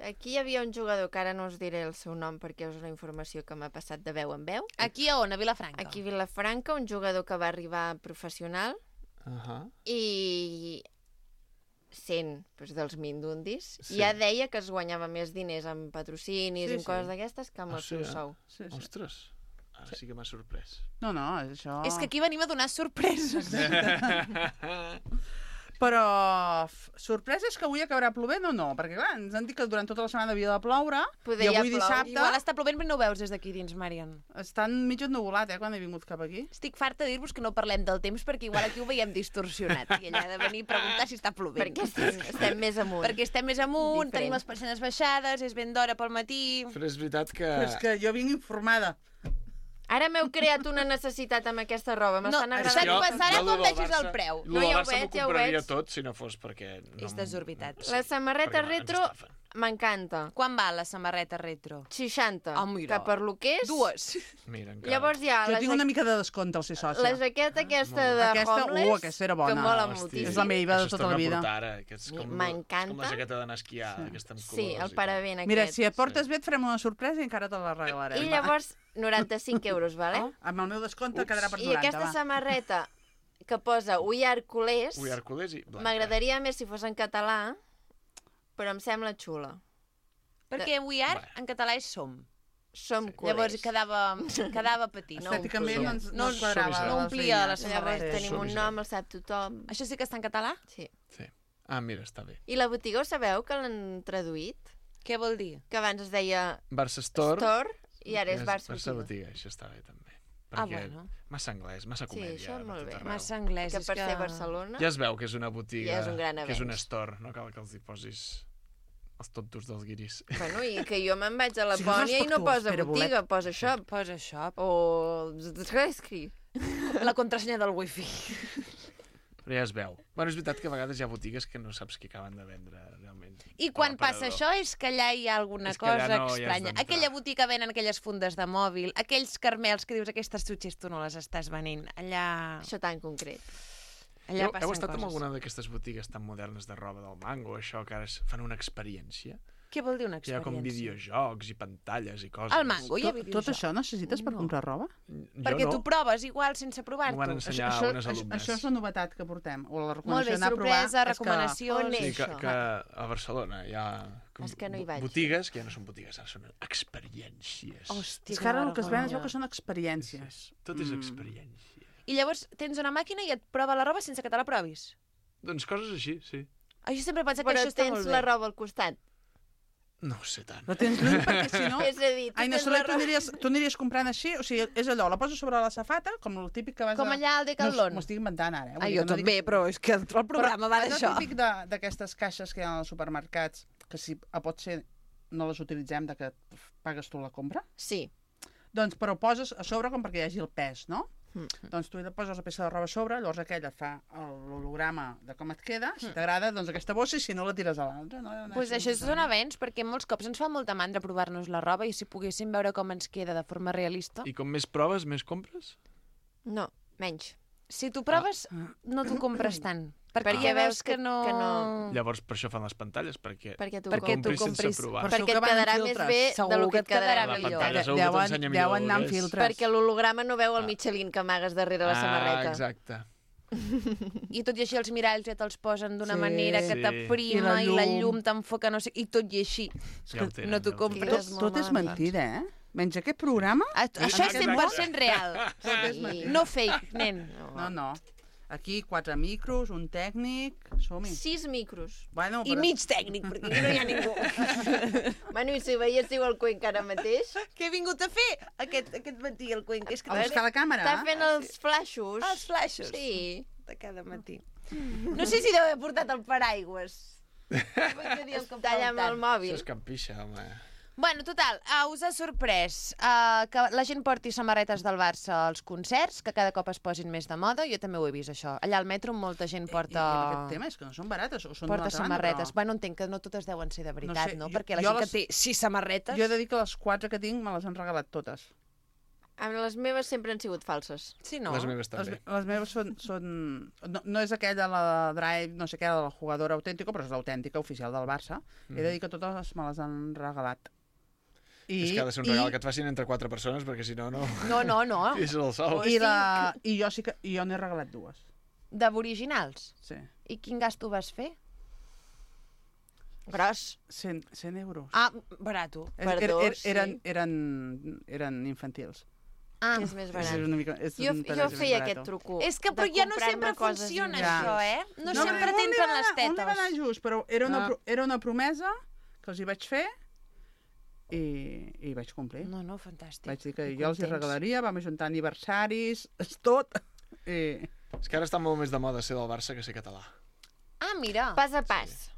Aquí hi havia un jugador, que ara no us diré el seu nom perquè és una informació que m'ha passat de veu en veu. Aquí a on? A Vilafranca? Aquí a Vilafranca, un jugador que va arribar professional Uh -huh. i sent doncs, dels Mindundis, Sí. sí. ja deia que es guanyava més diners amb patrocinis Sí, i amb sí. coses d'aquestes que amb Ah, el sí, seu eh? sou. Sí, sí. Ostres, ara sí que m'ha sorprès. No, no, és això... És que aquí venim a donar sorpreses. Però f- sorpresa és que avui acabarà plovent o no? Perquè clar, ens han dit que durant tota la setmana havia de ploure Poder i ja avui plou. dissabte Igual està plovent però no ho veus des d'aquí dins, Marian. està mig ennuvolat, eh, quan he vingut cap aquí. Estic farta de dir-vos que no parlem del temps perquè igual aquí ho veiem distorsionat i ella ha de venir a preguntar si està plovent. Perquè estem, estem més amunt. Perquè estem més amunt, Diferent. tenim les persianes baixades, és ben d'hora pel matí... Però és veritat que... Però és que jo vinc informada. Ara m'heu creat una necessitat amb aquesta roba. M'estan No, agradant. jo- passarà jo quan lo del vegis el Barça- preu. lo No, del ja ho Barça veig, m'ho ja ho compraria veig. tot si no fos perquè... No, És desorbitat. Sí, La samarreta perquè retro ens estafen. m'encanta. Quan va la samarreta retro? seixanta. Ah, mira. Que per lo que és... Dues. Mira, encara. Llavors hi ha Jo la, tinc ja... una mica de descompte al ser sòcia. la jaqueta aquesta de Aquesta, homeless, uh, aquesta era bona. que mola Hosti, moltíssim. És la meva de això es tota la torna a vida. portar ara, que és com, M'encanta. és com la jaqueta d'anar a esquiar, sí. aquesta amb Sí, colors el i paravent aquest. Mira, si et portes bé et farem una sorpresa i encara te la regalarem. I llavors, noranta-cinc euros, vale? Oh, amb el meu descompte Ups. quedarà per I noranta, aquesta va. samarreta que posa We are culers, Ui, Hercules i blanca. m'agradaria més si fos en català, però em sembla xula. Perquè we are, Bé. en català és som. Som Sí. culers. Llavors quedava, quedava petit. No, Estèticament no ens, no ens no- quadrava. no les omplia la línies. Llavors samarreta. tenim un Suavitzat. nom, el sap tothom. Això sí que està en català? Sí. Sí. Ah, mira, està bé. I la botiga, ho sabeu que l'han traduït? Què vol dir? Que abans es deia Barça Store. Store i ara és Barça Barça Botiga. Botiga, això està bé també. Ah, Perquè bueno. massa anglès, massa Sí, comèdia. això per molt tot bé. arreu. Massa anglès. Que és per que... ser Barcelona... Ja es veu que és una botiga, Ja és un gran que és un avenç. store, no cal que els hi posis els tontos dels guiris. Bueno, i que jo me'n vaig a Sigues Lapònia i no respectuós, posa Pere botiga, Bolet. posa shop. Posa shop. O... Zresky. La contrasenya del wifi. Però ja es veu. Bueno, és veritat que a vegades hi ha botigues que no saps què acaben de vendre, realment. I quan A passa l'aparador. això és que allà hi ha alguna És que allà cosa no hi has estranya. d'entrar. Aquella botiga venen aquelles fundes de mòbil, aquells carmels que dius aquestes xutxes tu no les estàs venint. Allà... Això tan concret. Allà Heu, passen heu estat coses. en alguna d'aquestes botigues tan modernes de roba del Mango, això, que ara es fan una experiència? Què vol dir una Que hi ha experiència? com videojocs i pantalles i coses. Al Mango hi ha Tot, videojocs. tot això necessites per comprar roba? Jo Perquè no. tu proves igual sense M'ho van provar-t'ho. ensenyar això, unes això, alumnes. això és la novetat que portem. O la Molt bé, recomanació d'anar a provar. sorpresa, és que- recomanacions... On Sí, és que, això? que a Barcelona hi ha com És que no hi bo- vaig. botigues, que ja no són botigues, ara són experiències. Hòstia, És que ara que el que es ven es vergonya. veu que són experiències. Tot és Mm. experiència. I llavors tens una màquina i et prova la roba sense que te la provis. Doncs coses així, sí. Ah, jo sempre penso que Però això està tens molt bé. la roba al costat. No ho sé tant. La tens lluny perquè si no... És a dir, tu Ai, no, tens Soler, la tu roba... aniries, tu aniries comprant així, o sigui, és allò, la poses sobre la safata, com el típic que vas Com a... allà al No, Decathlon. m'ho estic inventant ara, eh? Vull Ah, dir jo que no també, dic- però és que el programa va Però d'això. allò típic de- d'aquestes caixes que hi ha als supermercats, que si a pot ser no les utilitzem, de que pagues tu la compra, Sí. doncs però poses a sobre com perquè hi hagi el pes, no? Mm. Doncs tu hi poses la peça de roba a sobre, llavors aquella et fa l'holograma de com et queda, si t'agrada, doncs aquesta bossa, i si no la tires a l'altra. No? Doncs pues això és un avenç, perquè molts cops ens fa molta mandra provar-nos la roba i si poguéssim veure com ens queda de forma realista. I com més proves, més compres? No, menys. Si tu proves, no t'ho compres tant. Perquè, Perquè ja veus veus que, que- no... que no- Llavors, per això fan les pantalles, perquè, Perquè tu Perquè tu compris sense compris- provar. Per Perquè segur que et van amb quedarà més filtres. bé de Segur lo que que et et quedarà La millor. pantalla segur que Deuen, t'ensenya millor deuen anar amb veuràs. filtres. Perquè l'holograma no veu el Ah. Michelin que amagues darrere la Ah, samarreta. exacte. I tot i així els miralls ja te'ls posen d'una Sí. manera que Sí. t'aprima I i la la llum. llum t'enfoca, no sé... I tot i així, Ja ho tenen, no t'ho ja ho tenen. compres. Molt Tot és malament. mentida, eh? Menys aquest programa... Ah, això és cent per cent real. Sí. No fake, nen. No, no. Aquí quatre micros, un tècnic... Som-hi. Sis micros. Bueno, I mig tècnic, perquè aquí no hi ha ningú. Bueno, i si veiéssiu el Cuenca ara mateix, Què he vingut a fer aquest, aquest matí, el Cuenca? És que A buscar la càmera. està fent els flaixos. els flaixos Sí. de cada matí. No sé si deu haver portat el paraigües. Talla amb el Això mòbil. és campixa, home. Bueno, total, uh, us ha sorprès uh, que la gent porti samarretes del Barça als concerts, que cada cop es posin més de moda. Jo també ho he vist, això. Allà al metro molta gent I, i porta, aquest tema és que no són barates, o són porta d'una altra samarretes. banda, Bueno, entenc que no totes deuen ser de veritat, sé, no? jo- Perquè la jo gent les- que té sis samarretes... però... Jo he de dir que les quatre que tinc me les han regalat totes. Amb les meves sempre han sigut falses. Sí, no? Les meves Les, també. les meves són... són... No, no és aquella, la Drive, no sé què, la jugadora autèntica, però és l'autèntica oficial del Barça. Mm. He de dir que totes me les han regalat. I, És que ha de ser un regal que et facin entre quatre persones, perquè si no, no... No, no, no. És el sol. I, la, I jo sí que i jo n'he regalat dues. D'aboriginals. Sí. I quin gasto vas fer? Gros. cent, cent euros. Ah, barato. És- per er, dos, er, sí. eren, eren, eren infantils. Ah, És més És barat. una mica, és Jo, un jo pedaç més feia barato. aquest truco. és que però de ja no comprar-me sempre coses funciona inútils. això, eh? No, No, sempre però tens on per li va les anar- on li va anar tetes. just, però era una, Ah. pro- era una promesa que els hi vaig fer i, i vaig complir. No, no, fantàstic. Vaig dir que I jo els hi contents. regalaria, vam ajuntar aniversaris, és tot. I... És que ara està molt més de moda ser del Barça que ser català. Ah, mira. Pas a pas.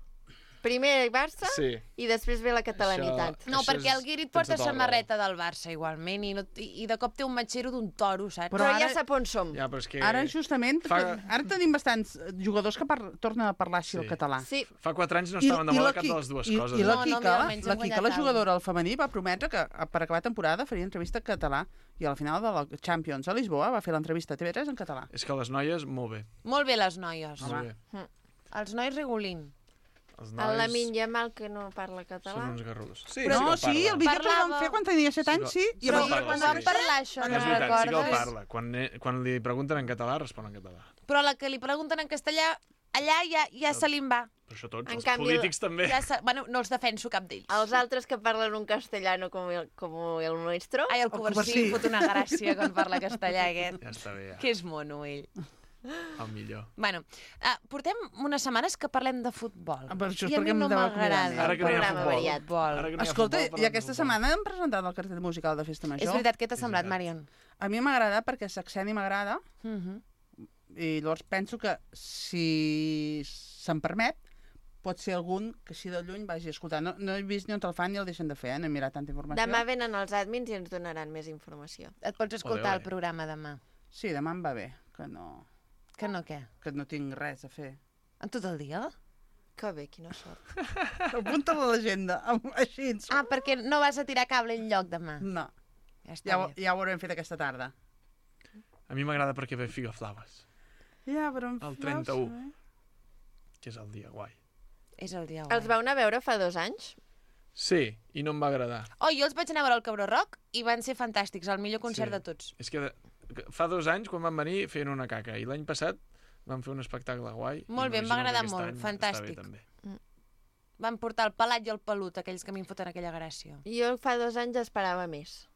Primer Barça Sí. i després ve la catalanitat. Això- No, això perquè és- el Guirit tens porta tota la samarreta del Barça, igualment, i, no, i, i de cop té un matxero d'un toro, saps? Però, Però ja ara- sap on som. Ja, però és que... Ara, justament, Fa- ara tenim bastants jugadors que par tornen a parlar així Sí. el català. Sí, Fa quatre anys no estaven de I moda la cap Qui- de les dues i, coses. I la No, no, Quica, mira, la, almenys la hem Quica, guanyat la alguna. jugadora al femení, va prometre que a- per acabar temporada faria entrevista en català. I a la final de la Champions a Lisboa va fer l'entrevista a T V tres en català. És que les noies, molt bé. Molt bé, les noies. Molt bé. Els nois regulint. Els el nois Lamin Yamal, que no parla són català. uns garruts. Sí, Però no, sí que sí, el parla. vídeo que el Parlava- van fer quan tenia set anys, sí. I Però Sí, va- parla, quan sí. van parlar això, És no veritat, sí que el recordes? parla. Quan, eh, quan li pregunten en català, respon en català. Però la que li pregunten en castellà, allà ja, ja se li en va. Però això tots, En els canvi, polítics també. Ja se... Bueno, no els defenso cap d'ells. Els altres que parlen un castellano com el, com el nuestro... Ai, el Coversí fot una gràcia quan parla castellà, aquest. Ja està bé, ja. Que és mono, ell. El millor. Bueno, uh, portem unes setmanes que parlem de futbol. Ah, però això és I a perquè mi em no deu acomiadar. m'agrada Ara el que no hi ha programa futbol. variat. Futbol. Ara que no hi ha Escolta, futbol, i parlem aquesta de futbol. setmana hem presentat el cartell musical de Festa Major. És veritat, què t'ha És semblat, veritat. Marion? A mi m'ha agradat perquè Saxeni m'agrada Uh -huh. i llavors penso que si se'm permet pot ser algun que així de lluny vagi a escoltar. No, no he vist ni on el fan ni el deixen de fer, eh? No he mirat tanta informació. Demà venen els admins i ens donaran més informació. Et pots escoltar Ole, ole. el programa demà. Sí, demà em va bé, que no, Que no, què? que no tinc res a fer. En tot el dia? Que bé, quina sort. Apunta a l'agenda, am- així. Ah, perquè no vas a tirar cable enlloc demà. No, Ja està ja, ho- bé. ja ho haurem fet aquesta tarda. A mi m'agrada perquè ve Figa Flaves, Ja, però em El fas, trenta-u. eh? que és el dia guai. És el dia Els guai. vau anar a veure fa dos anys? Sí, i no em va agradar. Oh, jo els vaig anar a veure al Cabró Rock i van ser fantàstics, el millor concert Sí. de tots. És que, de, que fa dos anys, quan van venir, feien una caca. I l'any passat van fer un espectacle guai. Molt i bé, em va m'imagino que agradar aquest molt, any fantàstic. Està bé, també. Van portar el pelat i el pelut, aquells que a mi em foten aquella gràcia. Jo fa dos anys esperava més.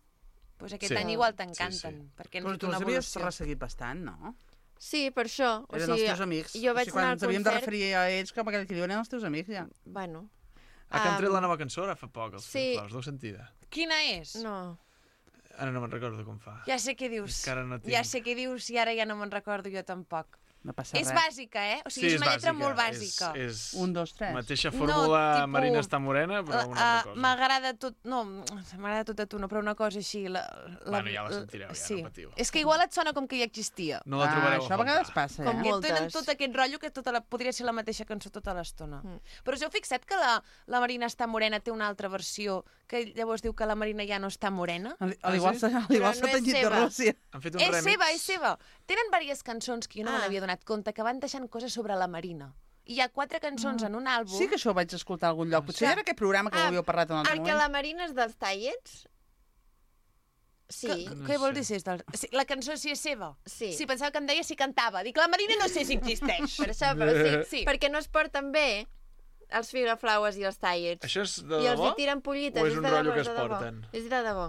Pues aquest Sí. any igual Sí, t'encanten, sí. perquè han Però fet tu una els havies evolució. resseguit bastant, no? Sí, per això. O Eren sigui, els teus amics. Jo vaig o sigui, quan anar ens al havíem de concert... referir a ells com aquell que diuen eren els teus amics, ja. Bueno. Ah, que han tret Am, la nova cançó ara fa poc, els sí. sí. Flaus, deu sentida. Quina és? No. Ara no me'n recordo com fa. Ja sé què dius. És que ara no tinc. Ja sé què dius i ara ja no me'n recordo jo tampoc. No passa És res. bàsica, eh? O sigui, és una lletra molt És, bàsica. és Un, dos, tres. mateixa No, fórmula tipus- Marina està morena, però una Uh, altra cosa. M'agrada tot... No, m'agrada tot a tu, no, però una cosa així... La, la, Bueno, ja la sentireu, ja, sí. no patiu. És que igual et sona com que ja existia. No la Ah, trobareu això a a vegades faltar. passa, Com eh? molt. Que tenen Moltes. tot aquest rotllo que tota la, podria ser la mateixa cançó tota l'estona. Mm. Però us heu fixat que la, la Marina està morena té una altra versió que llavors diu que la Marina ja no està morena? Al, Ah, al igual sí? s'ha al igual Però s'ha no és tenyit de seva. Rússia. Han fet un És remix. seva, és seva. Tenen diverses cançons que jo no Ah. me n'havia donat compte, que van deixant coses sobre la Marina. I hi ha quatre cançons en un àlbum. Sí que això ho vaig escoltar a algun lloc. Potser Clar. era aquest programa que ho Ah, havíeu parlat en un altre El que moment. la Marina és dels tallets? Sí. Que, No què vol sé. dir si és del... Sí, la cançó sí és seva? Sí. Sí, pensava que em deia si cantava. Dic, la Marina no sé si existeix. Per això, però sí, Sí. perquè no es porten bé els figaflaues i els tallets. Això és de I els debò? hi tiren pollites. O és és un de rotllo debò, que és es de debò. porten? És de debò.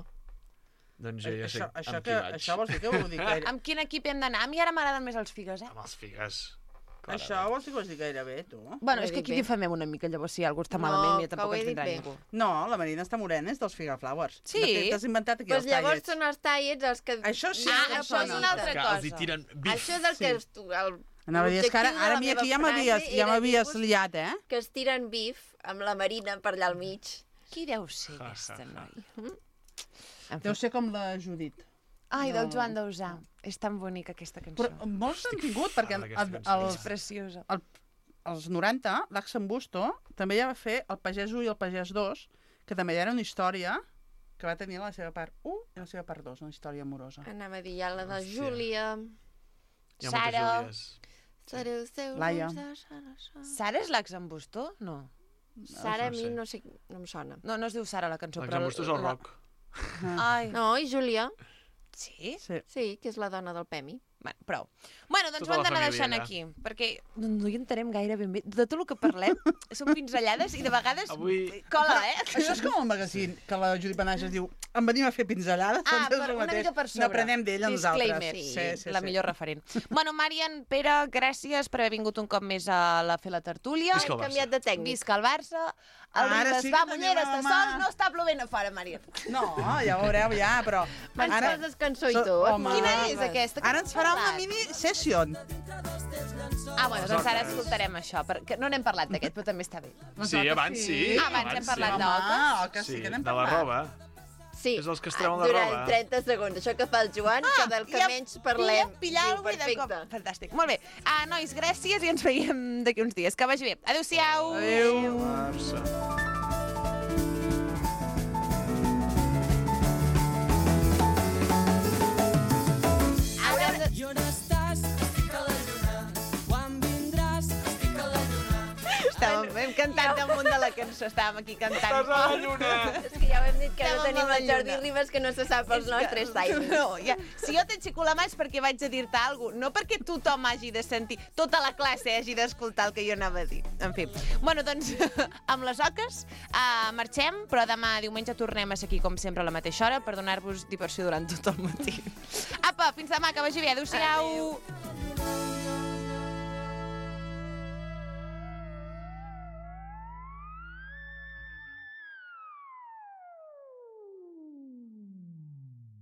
Doncs ja, ja sé això, això, amb que, qui vaig. això vols dir que ho dic gaire... Amb quin equip hem d'anar? A mi ara m'agraden més els figues, eh? Amb els figues. Això vols dir que ho has dit gaire bé, tu? Bueno, Ho he és que dit aquí bé. difamem una mica, llavors si algú està No, malament, ja que tampoc ho he ens dit vindrà bé. ningú. No, la Marina està morena, és dels Figaflowers. Sí? De fet, t'has inventat aquí Doncs els llavors tallets. són els tallets els que... Això sí, Ah, que em això és sona. una altra Que cosa. els hi tiren bif. Això és el Sí. que... Es, el, Anava a dir, és que ara, l'objectiu de ara la a mi meva aquí ja frase m'havies ja era m'havies dir-vos liat, eh? Que es tiren bif amb la Marina per allà al mig. Qui deu ser Ja, aquesta ja, ja. noia? En Deu fi. ser com la Judit. Ai, del No. Joan Dausà. És tan bonica aquesta cançó. Però molts han tingut, perquè Ara aquesta el, cançó. els, És preciosa. el, als noranta, l'Axen Busto també ja va fer El Pagès u i El Pagès dos, que també era una història que va tenir la seva part u i la seva part dos, una història amorosa. Anava a dir ja la de Hòstia. Júlia. Hi ha Sara. moltes Júlies. Sereu seus Laia. ulls de Sara, Sara. Sara és l'ex en Bustó? No. Sara a no mi sé. no sé, no em sona. No, no es diu Sara la cançó, però... L'exambustos és el la- rock. Ai, No, i Júlia, sí? Sí. sí, que és la dona del Pemi. Bueno, prou. Bueno, doncs Tota ho hem la d'anar família deixant allà. aquí, perquè no, no hi entenem gaire ben bé. De tot el que parlem són pinzellades i de vegades Avui- cola, eh? Això és com el magazín, que la Judit Benages diu en venim a fer pinzellades, Ah, doncs és per, el una mateix. mica per sobre. N'aprenem d'ella nosaltres. Disclaimer. Sí, sí, la sí. millor referent. Bueno, Marian, Pere, gràcies per haver vingut un cop més a la fer la tertúlia. Visca el Hem Barça. canviat de tècnic. Visca el Barça. El Ara Ribes sí que va, tenim Mullera, la està mà. sol, no està plovent a fora, Marian. No, ja ho veureu, ja, però... Ens poses cançó i tot. Home, Quina és aquesta? Ara ens farà una Parlat. mini session. Dentro dos Ah, bueno, doncs ara escoltarem això, perquè no n'hem parlat d'aquest, però també està bé. Sí, abans sí. Ah, abans hem parlat d'oques. Oques sí que n'hem de la parlat. roba. Sí, És els que es treuen la durant roba. trenta segons. Això que fa el Joan, que del que menys parlem. Pillar Diu, algú i de cop. perfecte. Fantàstic. Molt bé. Ah, nois, gràcies i ens veiem d'aquí uns dies. Que vagi bé. Adéu-siau. Adéu. Barça. I on estàs? Estic a la lluna. Quan vindràs? Estic a la lluna. Estàvem hem cantat damunt de la cançó. Estàvem aquí cantant. Estàs a la lluna. És que ja ho hem dit que no Estàvem tenim a la el Jordi lluna. Ribas, que no se sap els És nostres que- timings. No, ja. Si jo t'aixeco la mà és perquè vaig a dir-te alguna cosa, no perquè tothom hagi de sentir, tota la classe hagi d'escoltar el que jo anava a dir. En fi. Bueno, doncs, amb les oques uh, marxem, però demà diumenge tornem a ser aquí, com sempre, a la mateixa hora, per donar-vos diversió durant tot el matí. Apa, fins demà, que vagi bé. Adéu-siau. Adéu.